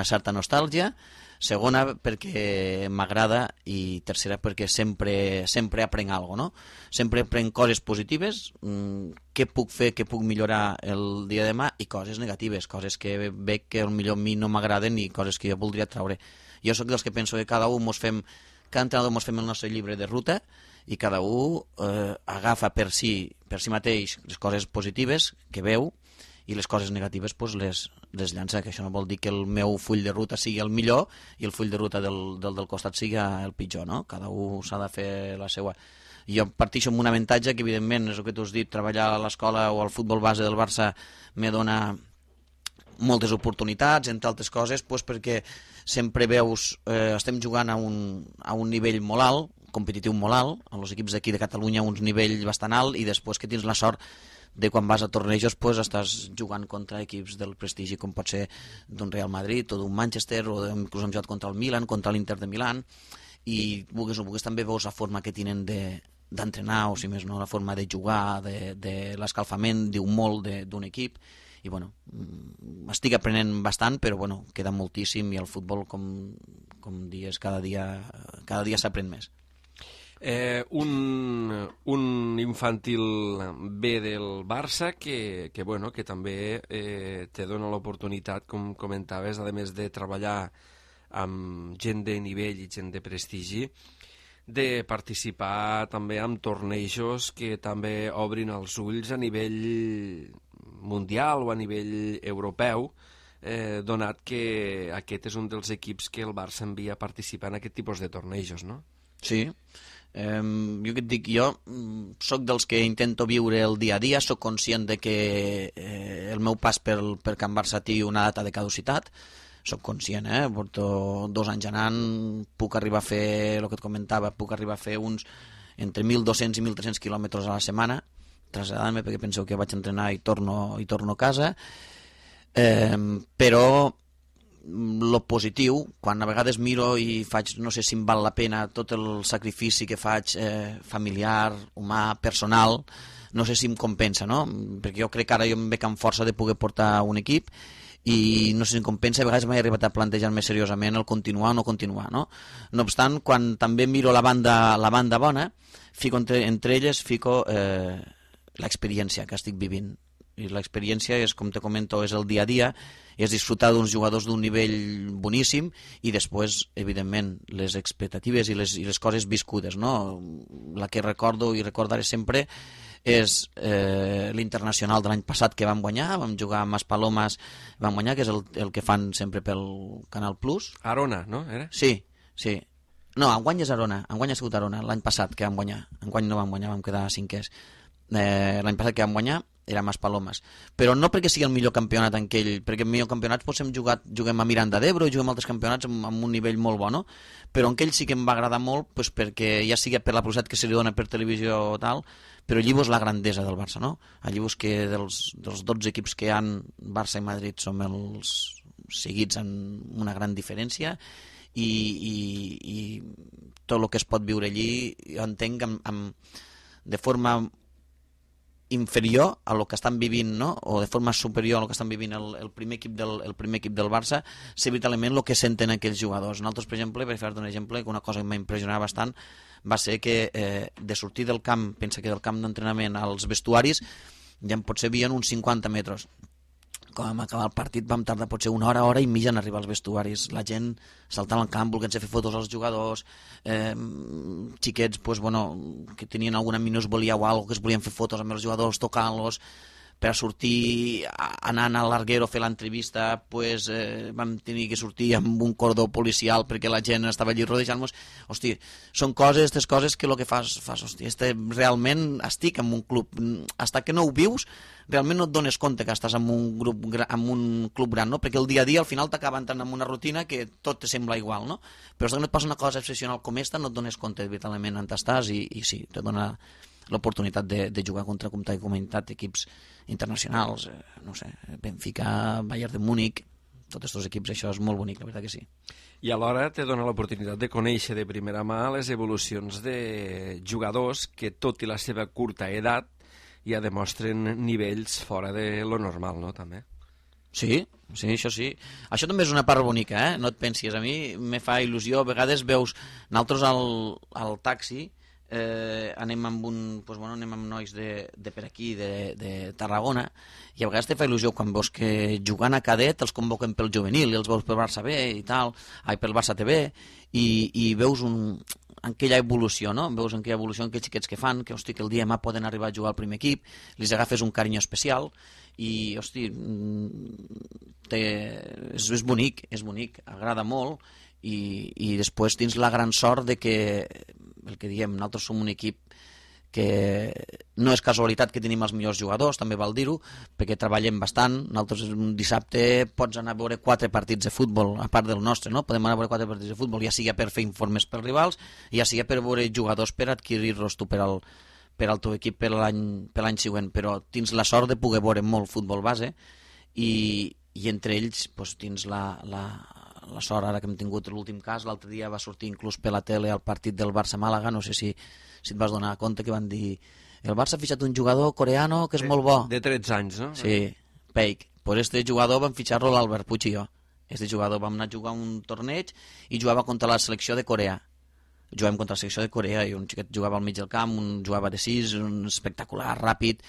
certa nostàlgia. Segona, perquè m'agrada, i tercera, perquè sempre aprenc alguna cosa, no? Sempre aprenc coses positives, què puc fer, què puc millorar el dia de demà, i coses negatives, coses que veig que potser a mi no m'agraden i coses que jo voldria treure. Jo sóc dels que penso que cada entrenador mos fem el nostre llibre de ruta i cada un agafa per si mateix les coses positives que veu i les coses negatives pues, les llança, que això no vol dir que el meu full de ruta sigui el millor i el full de ruta del costat sigui el pitjor, no? Cada un s'ha de fer la seva. Jo partixo amb un avantatge que, evidentment, és el que tu has dit, treballar a l'escola o al futbol base del Barça me dona moltes oportunitats, entre altres coses, pues, perquè sempre veus, estem jugant a un nivell molt alt, competitiu molt alt, als equips d'aquí de Catalunya a un nivell bastant alt, i després que tens la sort de quan vas a tornejos pues, estàs jugant contra equips del prestigi com pot ser d'un Real Madrid o d'un Manchester, o inclús hem jugat contra el Milan, contra l'Inter de Milán, i vulguis o vulguis també veus la forma que tenen d'entrenar, o si més no la forma de jugar, de l'escalfament, diu molt d'un equip, i bueno, estic aprenent bastant, però bueno, queda moltíssim, i el futbol, com dius, cada dia s'aprèn més. Un infantil B del Barça que també te dona l'oportunitat, com comentaves, a més de treballar amb gent de nivell i gent de prestigi, de participar també en tornejos que també obrin els ulls a nivell mundial o a nivell europeu, donat que aquest és un dels equips que el Barça envia a participar en aquest tipus de tornejos, no? Sí. Jo què et dic, jo soc dels que intento viure el dia a dia, soc conscient de que el meu pas per Can Barça té una data de caducitat, soc conscient, porto 2 anys anant, puc arribar a fer, el que et comentava, puc arribar a fer uns entre 1.200 i 1.300 quilòmetres a la setmana, traslladant-me perquè penseu que vaig entrenar i torno a casa, però lo positiu, quan a vegades miro i faig, no sé si em val la pena tot el sacrifici que faig familiar, humà, personal, no sé si em compensa, no? Perquè jo crec que ara jo em veig amb força de poder portar un equip i no sé si em compensa, a vegades m'he arribat a plantejar-me seriosament el continuar o no continuar, no? No obstant, quan també miro la banda bona, fico entre elles l'experiència que estic vivint. I l'experiència és, com te comento, és el dia a dia, és disfrutar d'uns jugadors d'un nivell boníssim i després, evidentment, les expectatives i les coses viscudes, no? La que recordo i recordaré sempre és l'internacional de l'any passat que vam guanyar, vam jugar amb Maspalomas, vam guanyar, que és el que fan sempre pel Canal Plus. Arona, no? Era? Sí. No, enguany és Arona, enguany ha sigut Arona, l'any passat que vam guanyar. Enguany no vam guanyar, vam quedar cinquers. L'any passat que vam guanyar era Maspalomas, però no perquè sigui el millor campionat en aquell, perquè en millor campionats juguem a Miranda d'Ebro i juguem a altres campionats amb un nivell molt bo, no? Però en aquell sí que em va agradar molt, doncs perquè ja sigui per la publicitat que se li dona per televisió o tal, però allí vos la grandesa del Barça, no? Allí vos que dels 12 equips que hi ha, Barça i Madrid som els seguits amb una gran diferència, i tot el que es pot viure allí jo entenc de forma inferior a lo que estan vivint, no? O de forma superior a lo que estan vivint el primer equip del Barça, sé vitalment el que senten aquells jugadors. Nosaltres, per exemple, per fer-te un exemple, una cosa que m'ha impressionat bastant va ser que de sortir del camp, pensa que del camp d'entrenament als vestuaris ja en potser havien uns 50 metres. Quan vam acabar el partit vam tardar potser una hora i mitja en arribar als vestuaris, la gent saltant al camp, volent-se fer fotos als jugadors, xiquets pues, bueno, que tenien alguna minusvalia o alguna cosa, que es volien fer fotos amb els jugadors, tocant-los, per a sortir anant a l'Arguero a fer l'entrevista, pues, vam tenir que sortir amb un cordó policial perquè la gent estava allí rodejant-nos. Hosti, són aquestes coses que el que fas hosti, realment estic en un club, hasta que no ho vius realment no et dones compte que estàs en un club gran, no? Perquè el dia a dia al final t'acaba entrant en una rutina que tot te sembla igual, no? Però si no et passa una cosa excepcional com esta no et dones compte vitalment on estàs i sí, te dona l'oportunitat de jugar contra comunitat d'equips internacionals, no sé, Benfica, Bayern de Múnich, tots aquests equips, això és molt bonic, la veritat que sí. I alhora te dona l'oportunitat de conèixer de primera mà les evolucions de jugadors que, tot i la seva curta edat, ja demostren nivells fora de lo normal, no, també? Sí, això sí. Això també és una part bonica, no et pensis. A mi me fa il·lusió, a vegades veus, nosaltres al taxi anem amb anem amb nois de per aquí, de Tarragona, i a vegades te fa il·lusió quan veus que jugant a cadet els convoquen pel juvenil i els veus pel Barça B i tal, pel Barça TV, i veus aquella evolució, no? Veus aquella evolució en aquells xiquets que fan, que, hosti, que el dia demà poden arribar a jugar al primer equip, li agafes un carinyo especial i, hosti, és bonic, agrada molt, i després tens la gran sort de que, el que diem, nosaltres som un equip que no és casualitat que tenim els millors jugadors, també val dir-ho, perquè treballem bastant. Nosaltres un dissabte pots anar a veure 4 partits de futbol, a part del nostre, no? Podem anar a veure 4 partits de futbol, ja sigui per fer informes pels rivals, ja sigui per veure jugadors per adquirir-los tu per al teu equip per l'any següent, però tens la sort de poder veure molt futbol base i entre ells tens la sort, ara que hem tingut l'últim cas, l'altre dia va sortir inclús per la tele el partit del Barça-Màlaga, no sé si et vas donar compte que van dir el Barça ha fitxat un jugador coreano que és molt bo. De 13 anys, no? Sí, Peik. Pues este jugador van fitxar-lo l'Albert Puig i jo. Este jugador vam anar a jugar un torneig i jugava contra la selecció de Corea. Jugàvem contra la selecció de Corea i un xiquet jugava al mig del camp, un jugava de 6, un espectacular, ràpid,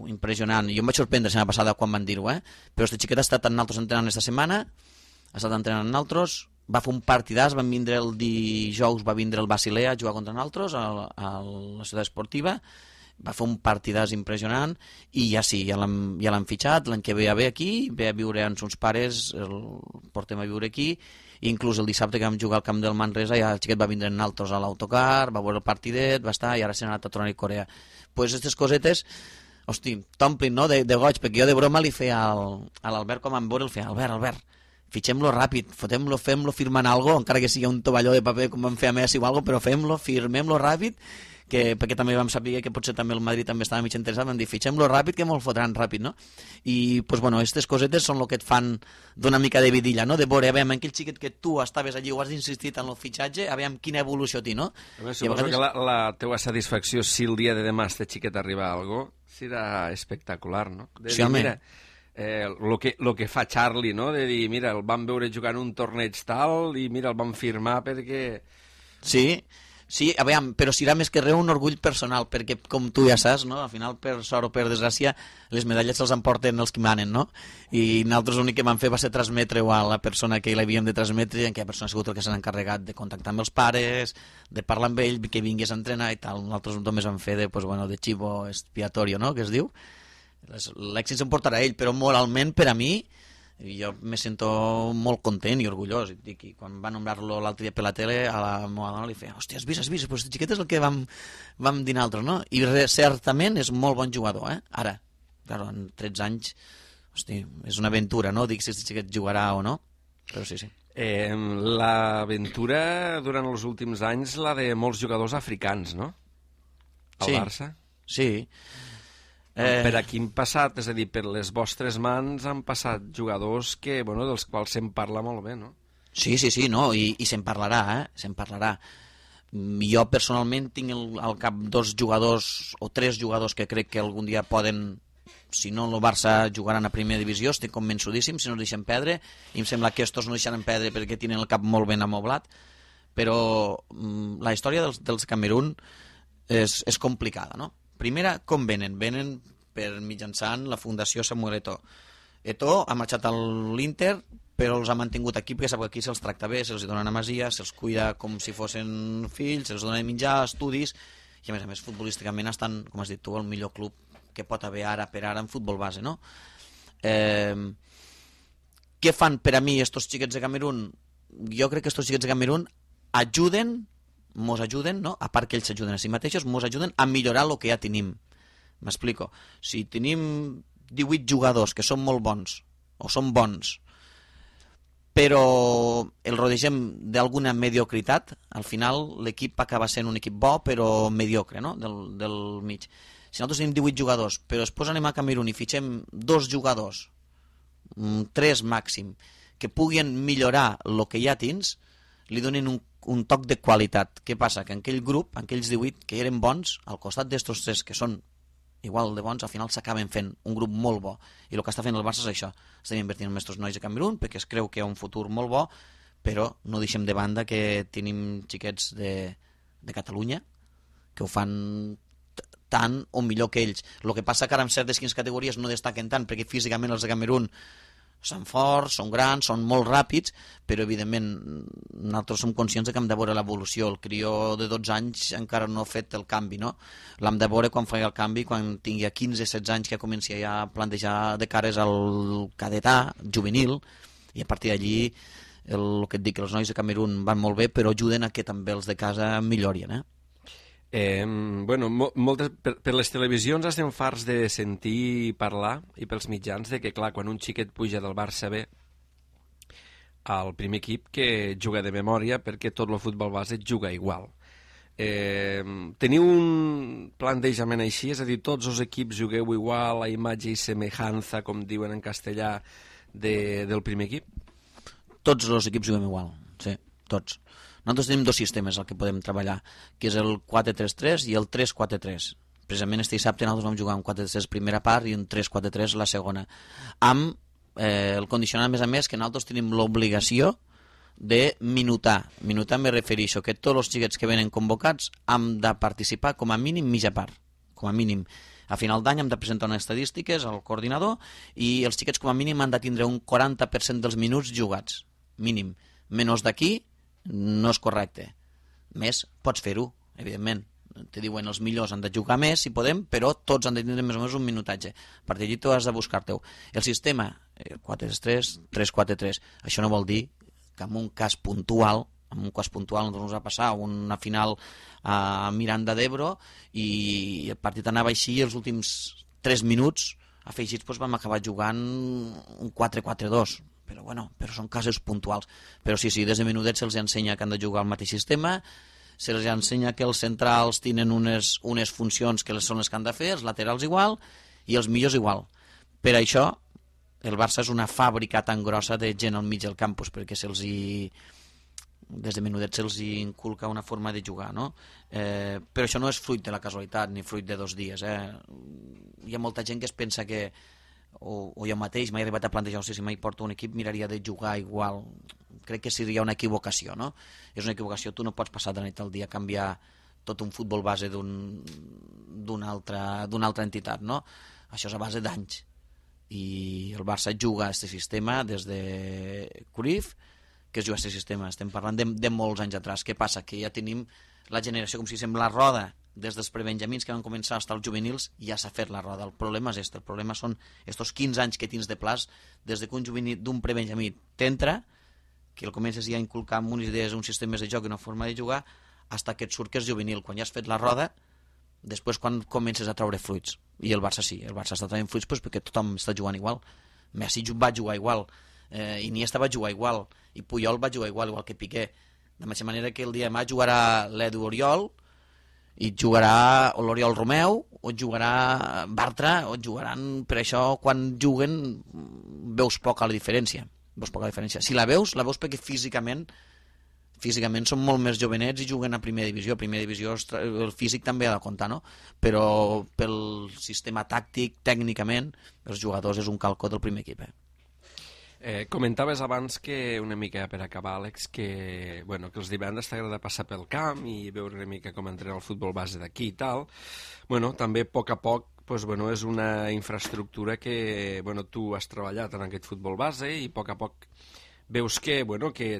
impressionant. Jo em vaig sorprendre la setmana passada quan van dir-ho, però este xiquet ha estat amb nosaltres entrenant esta setmana, ha estat entrenant amb nosaltres, va fer un partidàs, van vindre el dijous, va vindre el Basilea a jugar contra nosaltres a la ciutat esportiva, va fer un partidàs impressionant i ja sí, ja l'han fitxat, l'any que ve a aquí, ve a viure amb els pares, el portem a viure aquí, i inclús el dissabte que vam jugar al camp del Manresa ja el xiquet va vindre amb nosaltres a l'autocar, va veure el partidet, va estar i ara s'ha anat a tornar a Corea. Pues aquestes cosetes, hosti, t'omplin, no?, de goig, perquè jo de broma li feia a l'Albert, com em veure, el feia, Albert, fitxem-lo ràpid, fotem-lo, fem-lo firmant algo, encara que sigui un tovalló de paper com vam fer a Messi o algo, però fem-lo, firmem-lo ràpid, perquè també vam saber que potser també el Madrid també estava mig interessat, vam dir, fitxem-lo ràpid que me'l fotran ràpid, no? I, aquestes cosetes són el que et fan d'una mica de vidilla, no? De veure, a veure, aquell xiquet que tu estaves allí o has insistit en el fitxatge, a veure quina evolució té, no? Suposo que la teua satisfacció, si el dia de demà este xiquet arriba a algo, serà espectacular, no? Sí, home. Mira, lo que fa Charlie, no? De dir, mira, el vam veure jugant un torneig tal i mira, el vam firmar perquè... Sí, a veure, però serà més que res un orgull personal, perquè com tu ja saps, no? Al final, per sort o per desgràcia, les medalles se'ls emporten els que manen, no? I nosaltres l'únic que vam fer va ser transmetre-ho a la persona que l'havíem de transmetre, i en aquella persona ha sigut el que s'ha encarregat de contactar amb els pares, de parlar amb ell, que vingués a entrenar i tal. Nosaltres només vam fer de chivo expiatorio, no?, que es diu. L'èxit s'emportarà ell, però moralment, per a mi, jo me sento molt content i orgullós. I quan va nombrar-lo l'altre dia per la tele, a la meva dona li feia, hòstia, has vist, però aquest xiquet és el que vam dir nosaltres, no? I certament és molt bon jugador, Ara, claro, en 13 anys, hosti, és una aventura, no? Dic si aquest xiquet jugarà o no, però sí. L'aventura durant els últims anys, la de molts jugadors africans, no? Al Barça. Sí. Per aquí han passat, és a dir, per les vostres mans han passat jugadors que, dels quals se'n parla molt bé, no? Sí, no? I se'n parlarà, se'n parlarà. Jo personalment tinc al cap 2 jugadors o 3 jugadors que crec que algun dia poden, si no el Barça jugaran a primera divisió, estic convençudíssim, si no deixen perdre, i em sembla que estos no deixaran perdre perquè tenen el cap molt ben amoblat, però la història dels Camerún és complicada, no? Primera, com venen? Venen per mitjançant la Fundació Samuel Eto'o. Eto'o ha marxat a l'Inter, però els ha mantingut aquí perquè sap que aquí se'ls tracta bé, se'ls donen amasia, se'ls cuida com si fossin fills, se'ls donen menjar, estudis, i a més futbolísticament estan, com has dit tu, el millor club que pot haver ara per ara en futbol base, no? Què fan per a mi estos xiquets de Camerún? Jo crec que estos xiquets de Camerún mos ajuden, no? A part que ells s'ajuden a si mateixos, mos ajuden a millorar el que ja tenim. M'explico. Si tenim 18 jugadors que són molt bons, o són bons, però el rodegem d'alguna mediocritat, al final l'equip acaba sent un equip bo, però mediocre, no?, del mig. Si nosaltres tenim 18 jugadors, però després anem a Camerún i fitxem 2 jugadors, 3 màxim, que puguin millorar el que ja tens, li donen un toc de qualitat. Què passa? Que en aquell grup, en aquells 18 que eren bons, al costat d'estos 3 que són igual de bons, al final s'acaben fent un grup molt bo. I el que està fent el Barça és això. Estem invertint en aquests nois de Camerún perquè es creu que hi ha un futur molt bo, però no deixem de banda que tenim xiquets de Catalunya que ho fan tant o millor que ells. El que passa que ara en certes quines categories no destaquen tant perquè físicament els de Camerún són forts, són grans, són molt ràpids, però evidentment nosaltres som conscients que hem de veure l'evolució. El crió de 12 anys encara no ha fet el canvi, no? L'hem de veure quan faci el canvi, quan tingui 15-16 anys que comenci ja a plantejar de cares al cadetà, juvenil, i a partir d'allí el que et dic, els nois de Camerún van molt bé, però ajuden a que també els de casa millorien, Bueno, per les televisions estem farts de sentir parlar, i pels mitjans, de que, clar, quan un xiquet puja del Barça B al primer equip, que juga de memòria, perquè tot el futbol base juga igual. Teniu un plantejament així? És a dir, tots els equips jugueu igual, a imatge i semejança, com diuen en castellà, del primer equip? Tots els equips juguem igual, sí, tots. Nosaltres tenim dos sistemes al que podem treballar, que és el 4-3-3 i el 3-4-3. Precisament este dissabte nosaltres vam jugar un 4-3 primera part i un 3-4-3 la segona. Amb el condicionat, a més, que nosaltres tenim l'obligació de minutar. Minutar me refereixo que tots els xiquets que venen convocats han de participar com a mínim mitja part, com a mínim. A final d'any hem de presentar unes estadístiques al coordinador i els xiquets com a mínim han de tindre un 40% dels minuts jugats, mínim. Menys d'aquí no és correcte. Més, pots fer-ho, evidentment. Te diuen els millors han de jugar més, si podem, però tots han de tindre més o menys un minutatge. A partir d'allí tu has de buscar-te-ho. El sistema, 4-3, 3-4-3, això no vol dir que en un cas puntual ens va passar una final a Miranda d'Ebro i el partit anava així i els últims 3 minuts afegits vam acabar jugant un 4-4-2. Però són casos puntuals. Però sí, des de menudets se'ls ensenya que han de jugar al mateix sistema, se'ls ensenya que els centrals tenen unes funcions que són les que han de fer, els laterals igual i els millors igual. Per això el Barça és una fàbrica tan grossa de gent al mig del campus, perquè des de menudets se'ls inculca una forma de jugar, no? Però això no és fruit de la casualitat ni fruit de 2 dies. Hi ha molta gent que es pensa que o jo mateix m'he arribat a plantejar, si mai porto un equip miraria de jugar igual. Crec que seria una equivocació, no? És una equivocació, tu no pots passar de la nit al dia a canviar tot un futbol base d'una altra entitat, no? Això és a base d'anys i el Barça juga a aquest sistema des de Cruyff, que es juga a aquest sistema, estem parlant de molts anys atrás. Què passa? Que ja tenim la generació, com si sembla la roda, des dels prebenjamins que van començar fins als juvenils, ja s'ha fet la roda. El problema és el problema són estos 15 anys que tens de plaç des que un juvenil d'un prebenjamí t'entra, que el comences ja a inculcar amb unes idees, uns sistemes de joc i una forma de jugar, fins que et surt que és juvenil. Quan ja has fet la roda, després quan comences a treure fruits. I el Barça sí, el Barça està traient fruits perquè tothom està jugant igual. Messi va jugar igual, Iniesta va jugar igual, i Puyol va jugar igual que Piqué. De la mateixa manera que el dia demà jugarà l'Edu Oriol, i jugarà l'Oriol Romeu, o jugarà Bartra, o jugaran... Per això, quan juguen, veus poca la diferència. Si la veus perquè físicament són molt més jovenets i juguen a primera divisió. A primera divisió el físic també ha de comptar, no? Però pel sistema tàctic, tècnicament, els jugadors és un calcó del primer equip, Comentaves abans que, una mica per acabar, Àlex, que els divendres t'agrada passar pel camp i veure una mica com entrena el futbol base d'aquí i tal. També a poc és una infraestructura que tu has treballat en aquest futbol base i a poc veus que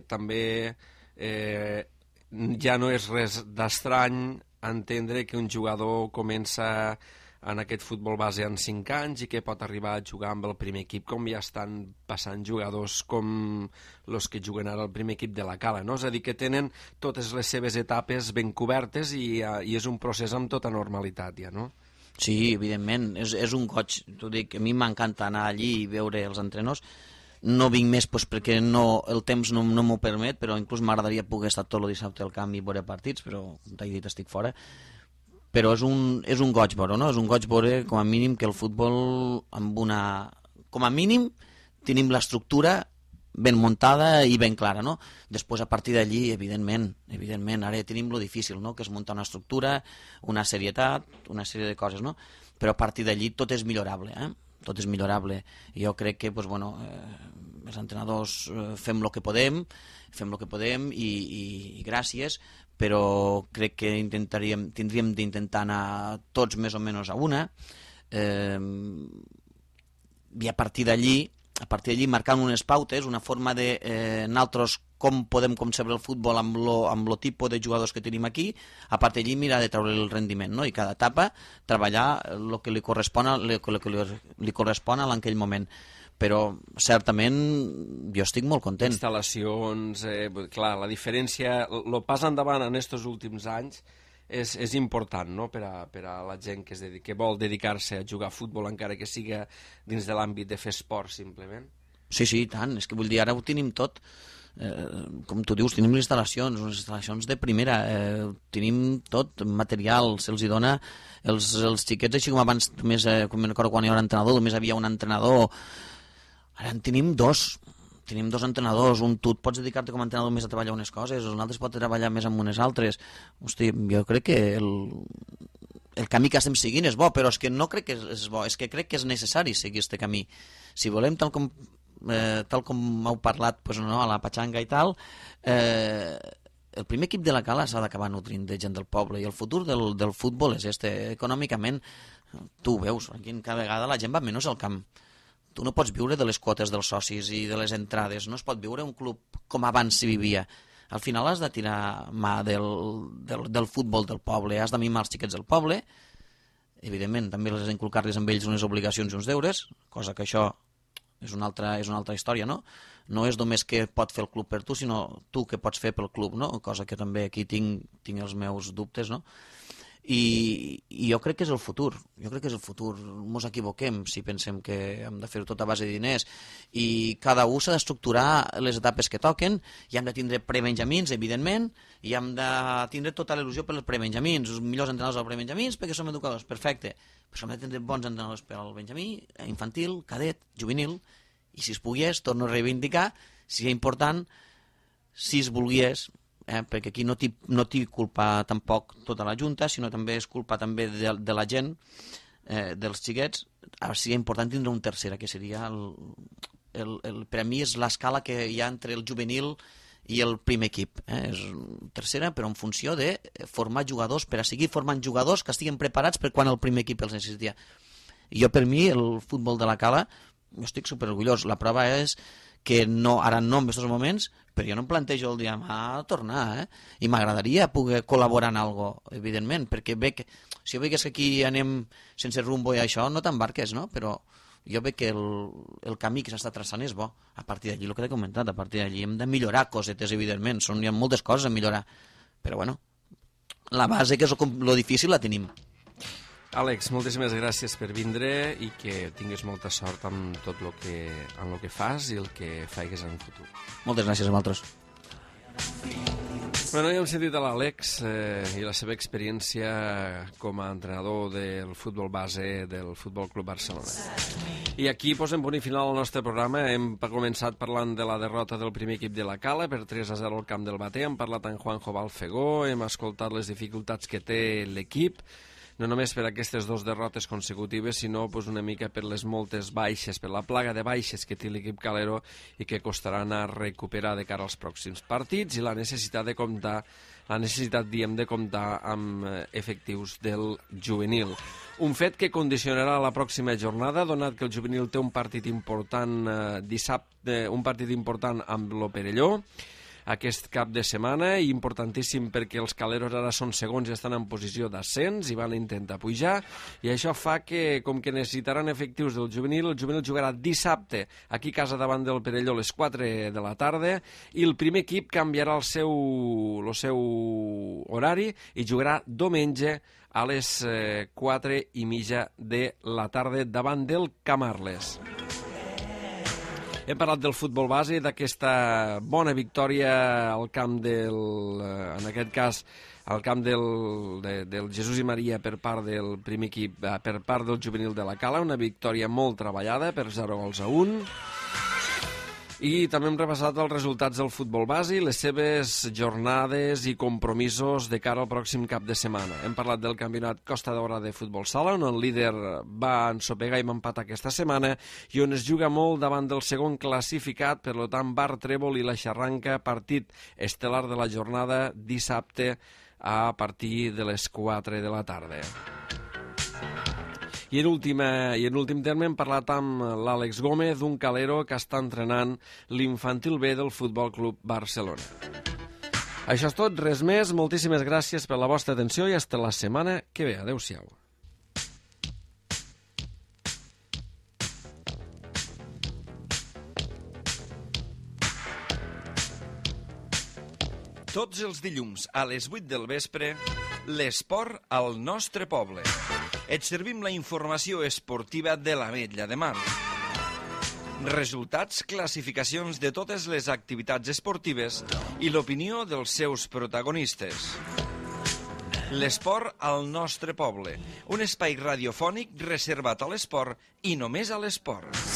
també ja no és res d'estrany entendre que un jugador comença en aquest futbol base en 5 anys i que pot arribar a jugar amb el primer equip, com ja estan passant jugadors com els que juguen ara al primer equip de la Cala, no? És a dir, que tenen totes les seves etapes ben cobertes i és un procés amb tota normalitat, ja, no? Sí, evidentment, és un goig. T'ho dic, a mi m'encanta anar allí i veure els entrenadors. No vinc més perquè el temps no m'ho permet, però inclús m'agradaria poder estar tot el dissabte al camp i veure partits, però com t'he dit estic fora. Però és un goig veure, no? És un goig veure, com a mínim, que el futbol com a mínim tenim l'estructura ben muntada i ben clara, no? Després, a partir d'allí, evidentment, ara tenim lo difícil, no? Que és muntar una estructura, una serietat, una sèrie de coses, no? però a partir d'allí tot és millorable, tot és millorable. Jo crec que els entrenadors fem el que podem i gràcies, però crec que tindríem d'intentar anar tots més o menys a una, i a partir d'allí marcant unes pautes, una forma de nosaltres com podem concebre el futbol amb el tipus de jugadors que tenim aquí, a partir d'allí mirar de treure el rendiment, no? I cada etapa treballar el que li correspon en aquell moment. Però certament jo estic molt content. Instal·lacions, clar, la diferència, el pas endavant en aquests últims anys és important, no?, per a la gent que vol dedicar-se a jugar a futbol, encara que siga dins de l'àmbit de fer esport, simplement. Sí, i tant. És que vull dir, ara ho tenim tot. Com tu dius, tenim les instal·lacions de primera, tenim tot, material, se'ls hi dona els xiquets, així com abans, com me recordo quan hi era entrenador, només havia un entrenador. Ara en tenim dos entrenadors, tu et pots dedicar-te com a entrenador més a treballar unes coses, un altre pot treballar més amb unes altres. Hosti, jo crec que el camí que estem seguint és bo, però és que no crec que és bo, és que crec que és necessari seguir aquest camí. Si volem, tal com heu parlat a la Patxanga i tal, el primer equip de la Cala s'ha d'acabar nutrint de gent del poble, i el futur del futbol és econòmicament, tu ho veus, aquí cada vegada la gent va menys al camp. Tu no pots viure de les quotes dels socis i de les entrades, no es pot viure un club com abans s'hi vivia. Al final has de tirar mà del futbol del poble, has de mimar els xiquets del poble, evidentment també has d'inculcar-les amb ells unes obligacions i uns deures, cosa que això és una altra història, no? No és només què pot fer el club per tu, sinó tu què pots fer pel club, no? Cosa que també aquí tinc els meus dubtes, no? I jo crec que és el futur, mos equivoquem si pensem que hem de fer-ho tot a base de diners, i cada un s'ha d'estructurar les etapes que toquen, i hem de tindre prebenjamins, evidentment, i hem de tindre tota l'il·lusió per als prebenjamins, els millors entrenadors als prebenjamins perquè som educadors, perfecte, però hem de tindre bons entrenadors per al benjamí, infantil, cadet, juvenil, i si es pogués, torno a reivindicar, si és important, si es volgués, perquè aquí no t'hi culpa tampoc tota la Junta, sinó també és culpa també de la gent, dels xiquets. Ara seria important tindre un tercera, que seria per a mi és l'escala que hi ha entre el juvenil i el primer equip. És tercera, però en funció de formar jugadors, per a seguir formant jugadors que estiguin preparats per quan el primer equip els necessitia. I jo, per mi, el futbol de la Cala, jo estic superorgullós. La prova és que ara no en aquests moments, però jo no em plantejo el dia a tornar, i m'agradaria poder col·laborar en alguna cosa, evidentment, perquè si jo veig que aquí anem sense rumbo i això, no t'embarques, no? Però jo veig que el camí que s'està traçant és bo. A partir d'allí, el que t'he comentat, a partir d'allí hem de millorar cosetes, evidentment, hi ha moltes coses a millorar, però bueno, la base, que és lo difícil, la tenim. Àlex, moltíssimes gràcies per vindre i que tinguis molta sort amb tot el que fas i el que faigues en el futur. Moltes gràcies a vosaltres. Bueno, ja hem sentit a l'Àlex i la seva experiència com a entrenador del futbol base del Futbol Club Barcelona. I aquí posem punt i final al nostre programa. Hem començat parlant de la derrota del primer equip de la Cala per 3-0 al camp del Bater. Hem parlat amb Juanjo Balfegó, hem escoltat les dificultats que té l'equip, no només per aquestes dues derrotes consecutives, sinó una mica per les moltes baixes, per la plaga de baixes que té l'equip calero i que costarà anar a recuperar de cara als pròxims partits, i la necessitat de comptar amb efectius del juvenil. Un fet que condicionarà la pròxima jornada, donat que el juvenil té un partit important dissabte, un partit important amb lo Perelló, aquest cap de setmana, i importantíssim perquè els caleros ara són segons i estan en posició d'ascens i van intentar pujar, i això fa que, com que necessitaran efectius del juvenil, el juvenil jugarà dissabte aquí a casa davant del Perelló a les 4 de la tarda, i el primer equip canviarà el seu horari i jugarà diumenge a les 4:30 de la tarda davant del Camarles. Hem parlat del futbol base, d'aquesta bona victòria al camp en aquest cas, al camp del Jesús i Maria per part del primer equip, per part del juvenil de la Cala, una victòria molt treballada per 0-1. I també hem repassat els resultats del futbol base, les seves jornades i compromisos de cara al pròxim cap de setmana. Hem parlat del campionat Costa Daurada de futbol sala, on el líder va ensopegar i m'empatar aquesta setmana i on es juga molt davant del segon classificat, per tant, Bar Trèvol i la Xarranca, partit estel·lar de la jornada dissabte a partir de les 4 de la tarda. I en últim terme hem parlat amb l'Àlex Gómez, un calero que està entrenant l'infantil B del Futbol Club Barcelona. Això és tot, res més. Moltíssimes gràcies per la vostra atenció i fins la setmana que ve. Adéu-siau. Tots els dilluns a les 8 del vespre, l'esport al nostre poble. Et servim la informació esportiva de l'Ametlla de Mar. Resultats, classificacions de totes les activitats esportives i l'opinió dels seus protagonistes. L'esport al nostre poble, un espai radiofònic reservat a l'esport i només a l'esport.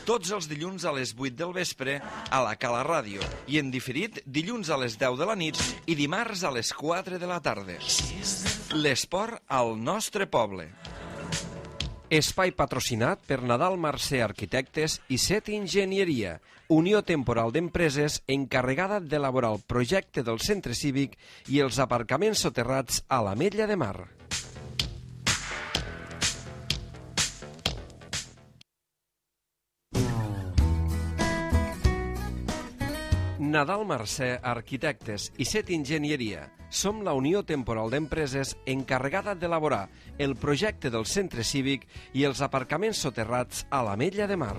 Tots els dilluns a les 8 del vespre a la Cala Ràdio i en diferit dilluns a les 10 de la nit i dimarts a les 4 de la tarda. L'esport al nostre poble. Espai patrocinat per Nadal Mercè Arquitectes i Set Enginyeria, unió temporal d'empreses encarregada d'elaborar el projecte del centre cívic i els aparcaments soterrats a l'Ametlla de Mar. Nadal Mercè Arquitectes i Set Enginyeria. Som la unió temporal d'empreses encarregada d'elaborar el projecte del centre cívic i els aparcaments soterrats a l'Ametlla de Mar.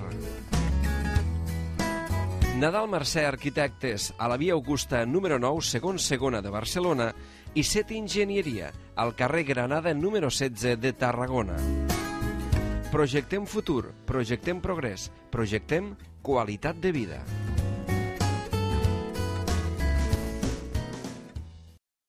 Nadal Mercè Arquitectes a la via Augusta número 9, segon segona de Barcelona i Set Enginyeria al carrer Granada número 16 de Tarragona. Projectem futur, projectem progrés, projectem qualitat de vida.